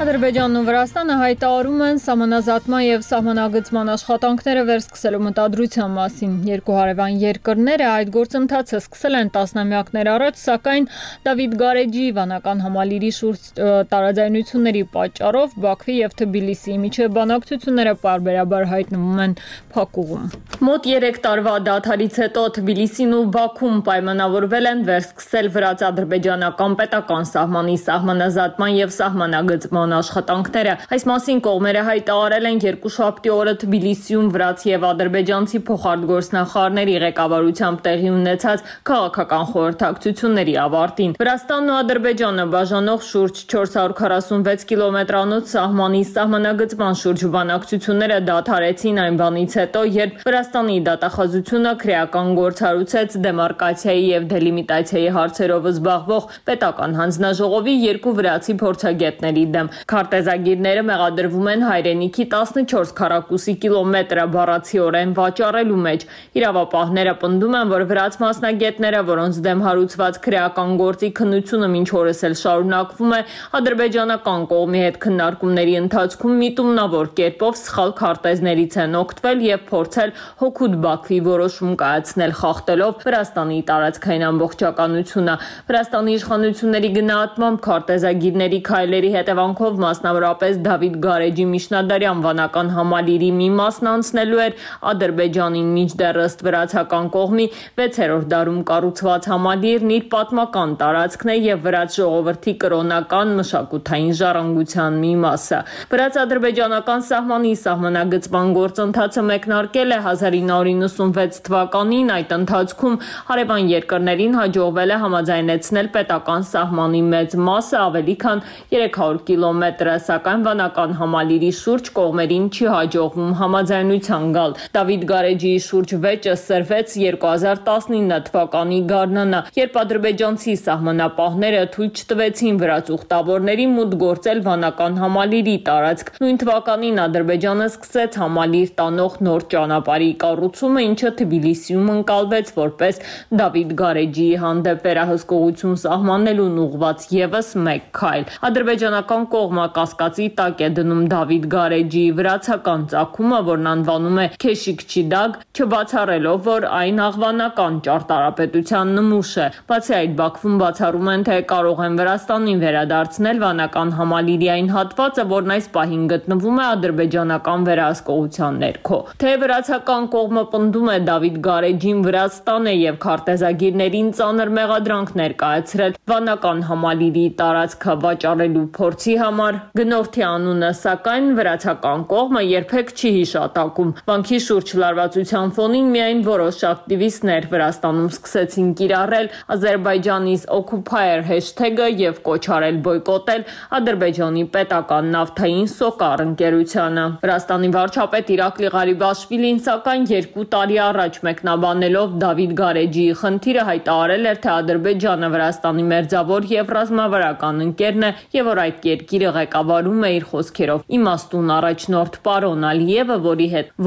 Ադրբեջանն ու Վրաստանը հայտարարում են սահմանազատման եւ սահմանագծման աշխատանքները վերսկսելու մտադրության մասին։ Երկու հարևան երկրները այդ գործընթացը սկսել են տասնամյակներ առաջ, սակայն Դավիթ Գարեջի վանական համալիրի շուրջ տարաձայնությունների պատճառով Բաքվի եւ Թբիլիսիի միջև բանակցությունները պարբերաբար հայտնվում են փակուղում։ Մոտ 3 տարվա դադարից հետո Թբիլիսին ու Բաքուն պայմանավորվել են վերսկսել վրաց-ադրբեջանական պետական սահմանի սահմանազատման եւ սահմանագծման աշխատանքները։ Այս մասին կողմերը հայտարարել են երկուշաբթի օրը Թբիլիսիում վրաց եւ ադրբեջանցի փոխարտգործնախարարների ղեկավարությամբ տեղի ունեցած քաղաքական խորհրդակցությունների ավարտին։ Վրաստանն ու Ադրբեջանը բաժանող շուրջ 446 կիլոմետրանոց սահմանի սահմանագծման շուրջ բանակցությունները դադարեցին այն բանից հետո, երբ Վրաստանի դատախազությունը քրեական գործ հարուցեց դեմարկացիայի եւ դելիմիտացիայի հարցերով զբաղվող պետական հանձնաժողովի երկու վրացի փորձագետների դեմ։ Քարտեզագիրները մեղադրվում են հայրենիքի 14 քառակուսի կիլոմետրը բառացիորեն վաճառելու մեջ։ Իրավապահները պնդում են, որ վրաց մասնագետները, որոնց դեմ հարուցված քրեական գործի քննությունը մինչ օրս էլ շարունակվում է, ադրբեջանական կողմի հետ քննարկումների ընթացքում միտումնավոր կերպով սխալ քարտեզներից են օգտվել եւ փորձել հօգուտ Բաքվի որոշում կայացնել, խախտելով Վրաստանի տարածքային ամբողջականությունը։ Վրաստանի իշխանությունների գնահատմամբ քարտեզագիրների քայլերի հետևանքով մասնավորապես Դավիթ Գարեջի միջնադարյան վանական համալիրի մի մասն անցնելու էր Ադրբեջանին, մինչդեռ ըստ վրացական կողմի 6-րդ դարում կառուցված համալիրն իր պատմական տարածքն է եւ վրաց ժողովրդի կրոնական մշակութային ժառանգության մի մասը։ Վրաց-ադրբեջանական սահմանի սահմանագծման գործընթացը մեկնարկել է 1996 թվականին, այդ ընթացքում հարևան երկրներին հաջողվել է համաձայնեցնել պետական սահմանի մեծ մասը, ավելի քան 300 կիլոմետրը, սակայն վանական համալիրի շուրջ կողմերին չի հաջողվում համաձայնության գալ։ Դավիթ Գարեջիի շուրջ վեճը սրվեց 2019 թվականի գարնանը, երբ ադրբեջանցի սահմանապահները թույլ չտվեցին վրաց ուխտավորների մուտք գործել վանական համալիրի տարածք։ Նույն թվականին Ադրբեջանը սկսեց համալիր տանող նոր ճանապարհի կառուցումը, ինչը Թբիլիսիում ընկալվեց որպես Դավիթ Գարեջիի հանդեպ վերահսկողություն սահմանելուն ուղղված եւս մեկ քայլ։ Ադրբեջանական կողմը կողմը կասկածի տակ է դնում Դավիթ Գարեջիի վրացական ծագումը, որն անվանում է Քեշիկչիդագ, չբացառելով, որ այն աղվանական ճարտարապետության նմուշ է։ Բացի այդ, Բաքվում բացառում են, թե կարող են Վրաստանին վերադարձնել վանական համալիրի հատվածը, որն այս պահին գտնվում է ադրբեջանական վերահսկողության ներքո։ Թե վրացական կողմը պնդում է Դավիթ Գարեջին Վրաստան է եւ քարտեզագիրներին ծանր մեղադրանք ներկայացրել վանական համալիրի տարածքը վաճառելու փորձի համար, գնորդի անունը սակայն վրացական կողմը երբեք չի հիշատակում։ Վանքի շուրջ լարվածության ֆոնին միայն որոշ ակտիվիստներ Վրաստանում սկսեցին կիրառել Azerbaijanis occupier hashtag-ը եւ կոչ արել բոյկոտել Ադրբեջանի պետական նավթային Սոկար ընկերությանը։ Վրաստանի վարչապետ Իրակլի Ղարիբաշվիլին սակայն 2 տարի առաջ մեկնաբանելով Դավիթ Գարեջիի խնդիրը հայտարարել էր, թե Ադրբեջանը Վրաստանի մերձավոր եւ ռազմավարական ընկերն է եւ որ այդ երկիրը ղեկավարում է իր խոսքերով իմաստուն առաջնորդ պարոն Ալիևը,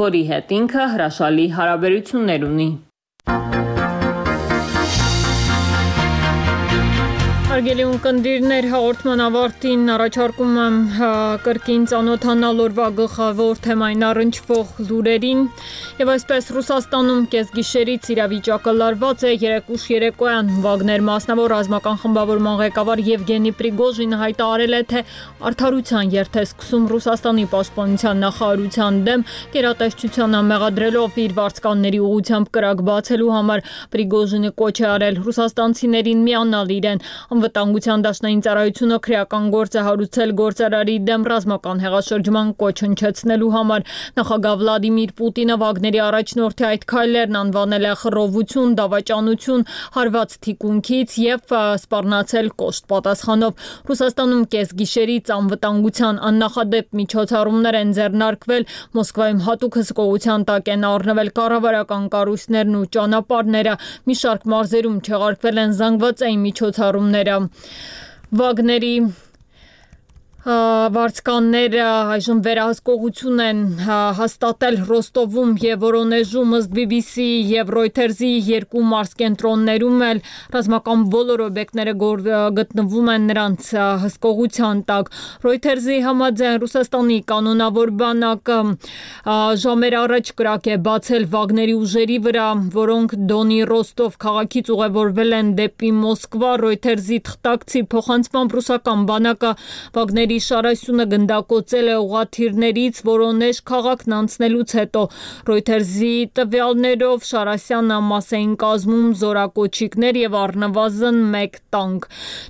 որի հետ ինքը հրաշալի հարաբերություններ ունի։ Հարգելի ունկնդիրներ, հաղորդման ավարտին առաջարկում եմ կրկին ծանոթանալ օրվա գլխավոր թեմային առնչվող լուրերին եւ այսպես Ռուսաստանում կեսգիշերից իրավիճակը լարված է։ Երեկուշ երեկոյան Վագներ մասնավոր ռազմական խմբավորման ղեկավար Եվգենի Պրիգոժինը հայտարարել է, թե արդարության երթ է սկսում Ռուսաստանի պաշտպանության նախարարության դեմ, գերատեսչությանը մեղադրելով իր վարձկանների ուղղությամբ կրակ բացելու համար։ Պրիգոժինը կոչ է արել ռուսաստանցիներին միանալ իրեն։ Անվտանգության դաշնային ծառայությունը քրեական գործ է հարուցել գործարարի դեմ ռազմական հեղաշրջման կոչ հնչեցնելու համար։ Նախագահ Վլադիմիր Պուտինը Վագների առաջնորդի այդ քայլերն անվանել է խռովություն, դավաճանություն, հարված թիկունքից եւ սպառնացել կոշտ պատասխանով։ Ռուսաստանում կեսգիշերից անվտանգության աննախադեպ միջոցառումներ են ձեռնարկվել, Մոսկվայում հատուկ հսկողության տակ են առնվել կառավարական կառույցներն ու ճանապարհները, մի շարք մարզերում չեղարկվել են զանգվածային միջոցառումներ։ Վագների վարձկանները այժմ վերահսկողություն են հաստատել Ռոստովում եւ Վորոնեժում, ըստ BBC եւ Reuters-ի 2 մարզկենտրոններում էլ ռազմական բոլոր օբյեկտները գտնվում են նրանց հսկողության տակ։ Reuters-ի համաձայն Ռուսաստանի կանոնավոր բանակը ժամեր առաջ կրակ է բացել Վագների ուժերի վրա, որոնք Դոնի Ռոստով քաղաքից ուղևորվել են դեպի Մոսկվա։ Reuters-ի թղթակցի փոխանցմամբ ռուսական բանակը Վագների շարասյունը գնդակոծել է ուղղաթիռներից Վորոնեժ քաղաքն անցնելուց հետո։ Reuters-ի տվյալներով Շարասյանը մաս էին կազմում զորակոչիկներ եւ առնվազն 1 տանկ։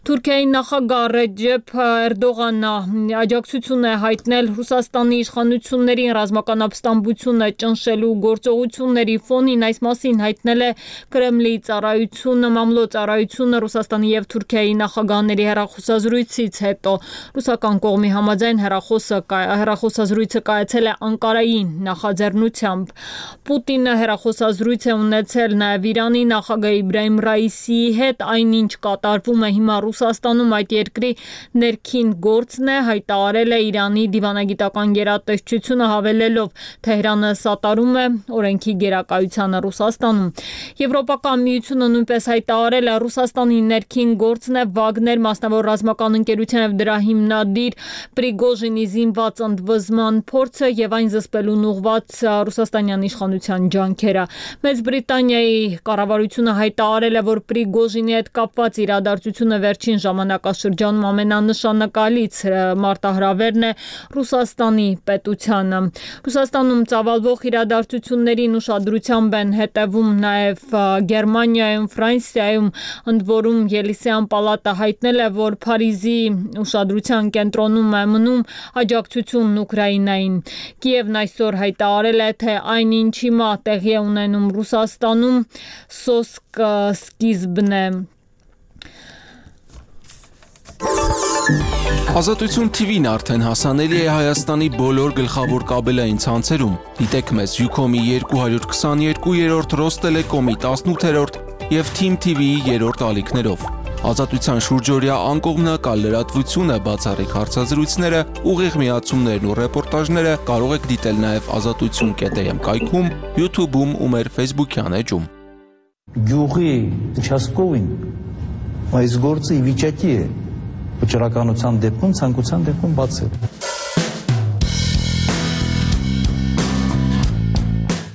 Թուրքիայի նախագահ Ռեջեփ Էրդողանը աջակցություն է հայտնել Ռուսաստանի իշխանություններին ռազմական ապստամբությունը ճնշելու գործողությունների ֆոնին։ Այս մասին հայտնել է Կրեմլի ծառայությունը, մամլո ծառայությունը Ռուսաստանի եւ Թուրքիայի նախագահների հեռախոսազրույցից հետո։ Ռուսական կողմի համաձայն հեռախոսազրույցը կայացել է Անկարայի նախաձեռնությամբ։ Պուտինը հեռախոսազրույց է ունեցել նաև Իրանի նախագահ Իբրահիմ Ռայիսիի հետ, այնինչ կատարվում է հիմա Ռուսաստանում այդ երկրի ներքին գործն է, հայտարարել է Իրանի դիվանագիտական գերատեսչությունը, հավելելով Թեհրանը սատարում է օրենքի գերակայությանը Ռուսաստանում։ Եվրոպական միությունը նույնպես հայտարարել է Ռուսաստանի ներքին գործն է Վագներ մասնավոր ռազմական ընկերության եւ դրա հիմնադիր Պրիգոժինի զինված ընդվզման փորձը եւ այն զսպելուն ուղղված ռուսաստանյան իշխանության ջանքերը։ Մեծ Բրիտանիայի կառավարությունը հայտարարել է, որ Պրիգոժինի հետ կապված իրադարձությունը վերջին ժամանակաշրջանում ամենանշանակալից մարտահրավերն է Ռուսաստանի պետությանը։ Ռուսաստանում ծավալվող իրադարձություններին ուշադրությամբ են հետևում նաեւ Գերմանիայում, Ֆրանսիայում, ընդ որում Ելիսեյան պալատը հայտնել է, որ Փարիզի ուշադրության կենտրոնում է մնում աջակցությունն Ուկրաինային։ Կիևն այսօր հայտարարել է, թե այնինչ հիմա տեղի է ունենում Ռուսաստանում սոսկ սկիզբն է։ Ազատություն TV-ն արդեն հասանելի է Հայաստանի բոլոր գլխավոր կաբելային ցանցերում։ Դիտեք մեզ Ucom-ի 222-րդ, Ռոստելեկոմի 18-րդ եւ Team TV-ի 3-րդ ալիքներով։ Ազատության շուրջօրյա անկողմնակալ լրատվությունը, բացառիկ հարցազրույցները, ուղիղ միացումներն ու ռեպորտաժները կարող եք դիտել նաև azatutsun.am կայքում, YouTube-ում ու մեր Facebook-յան էջում։ Գյուղի участковին այս գործը ի վիճակի է վճռականության դեպքում, ցանկության դեպքում բացել։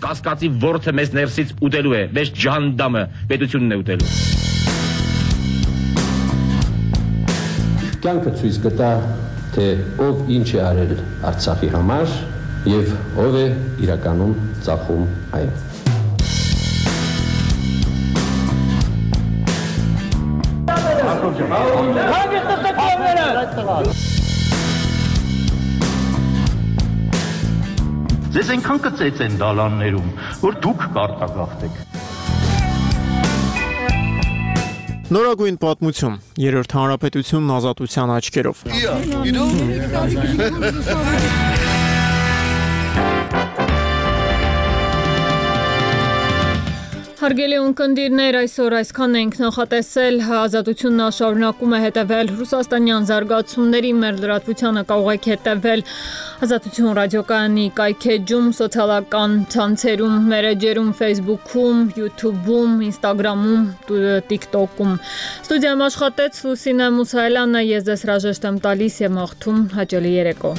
Կասկածի ворթը մեզ ներսից ուտելու է, մեզ ջհանդամը պետությունն է ուտելու։ Կյանքը ցույց կտա, թե ով ինչ է արել Արցախի համար եւ ով է իրականում ծախում այն։ Ձեզ այնքան կծեց են դալաններում, որ դուք կարտագաղթեք։ Նորագույն պատմություն, երրորդ հանրապետությունն ազատության աչքերով։ Հարգելի ունկնդիրներ, այսօր այսքան ենք նախատեսել, ազատությունն շարունակում է հետևել ռուսաստանյան զարգացումների, մեր լրատվությանը կարող եք հետևել Ազատություն ռադիոկայանի կայքեջում, սոցիալական ցանցերում, մերեջերում, Facebook-ում, YouTube-ում, Instagram-ում, TikTok-ում։ Ստուդիայում աշխատեց Լուսինե Մուսայելյանը, ես ձեզ հրաժեշտ եմ տալիս եւ մաղթում հաճելի երեկո։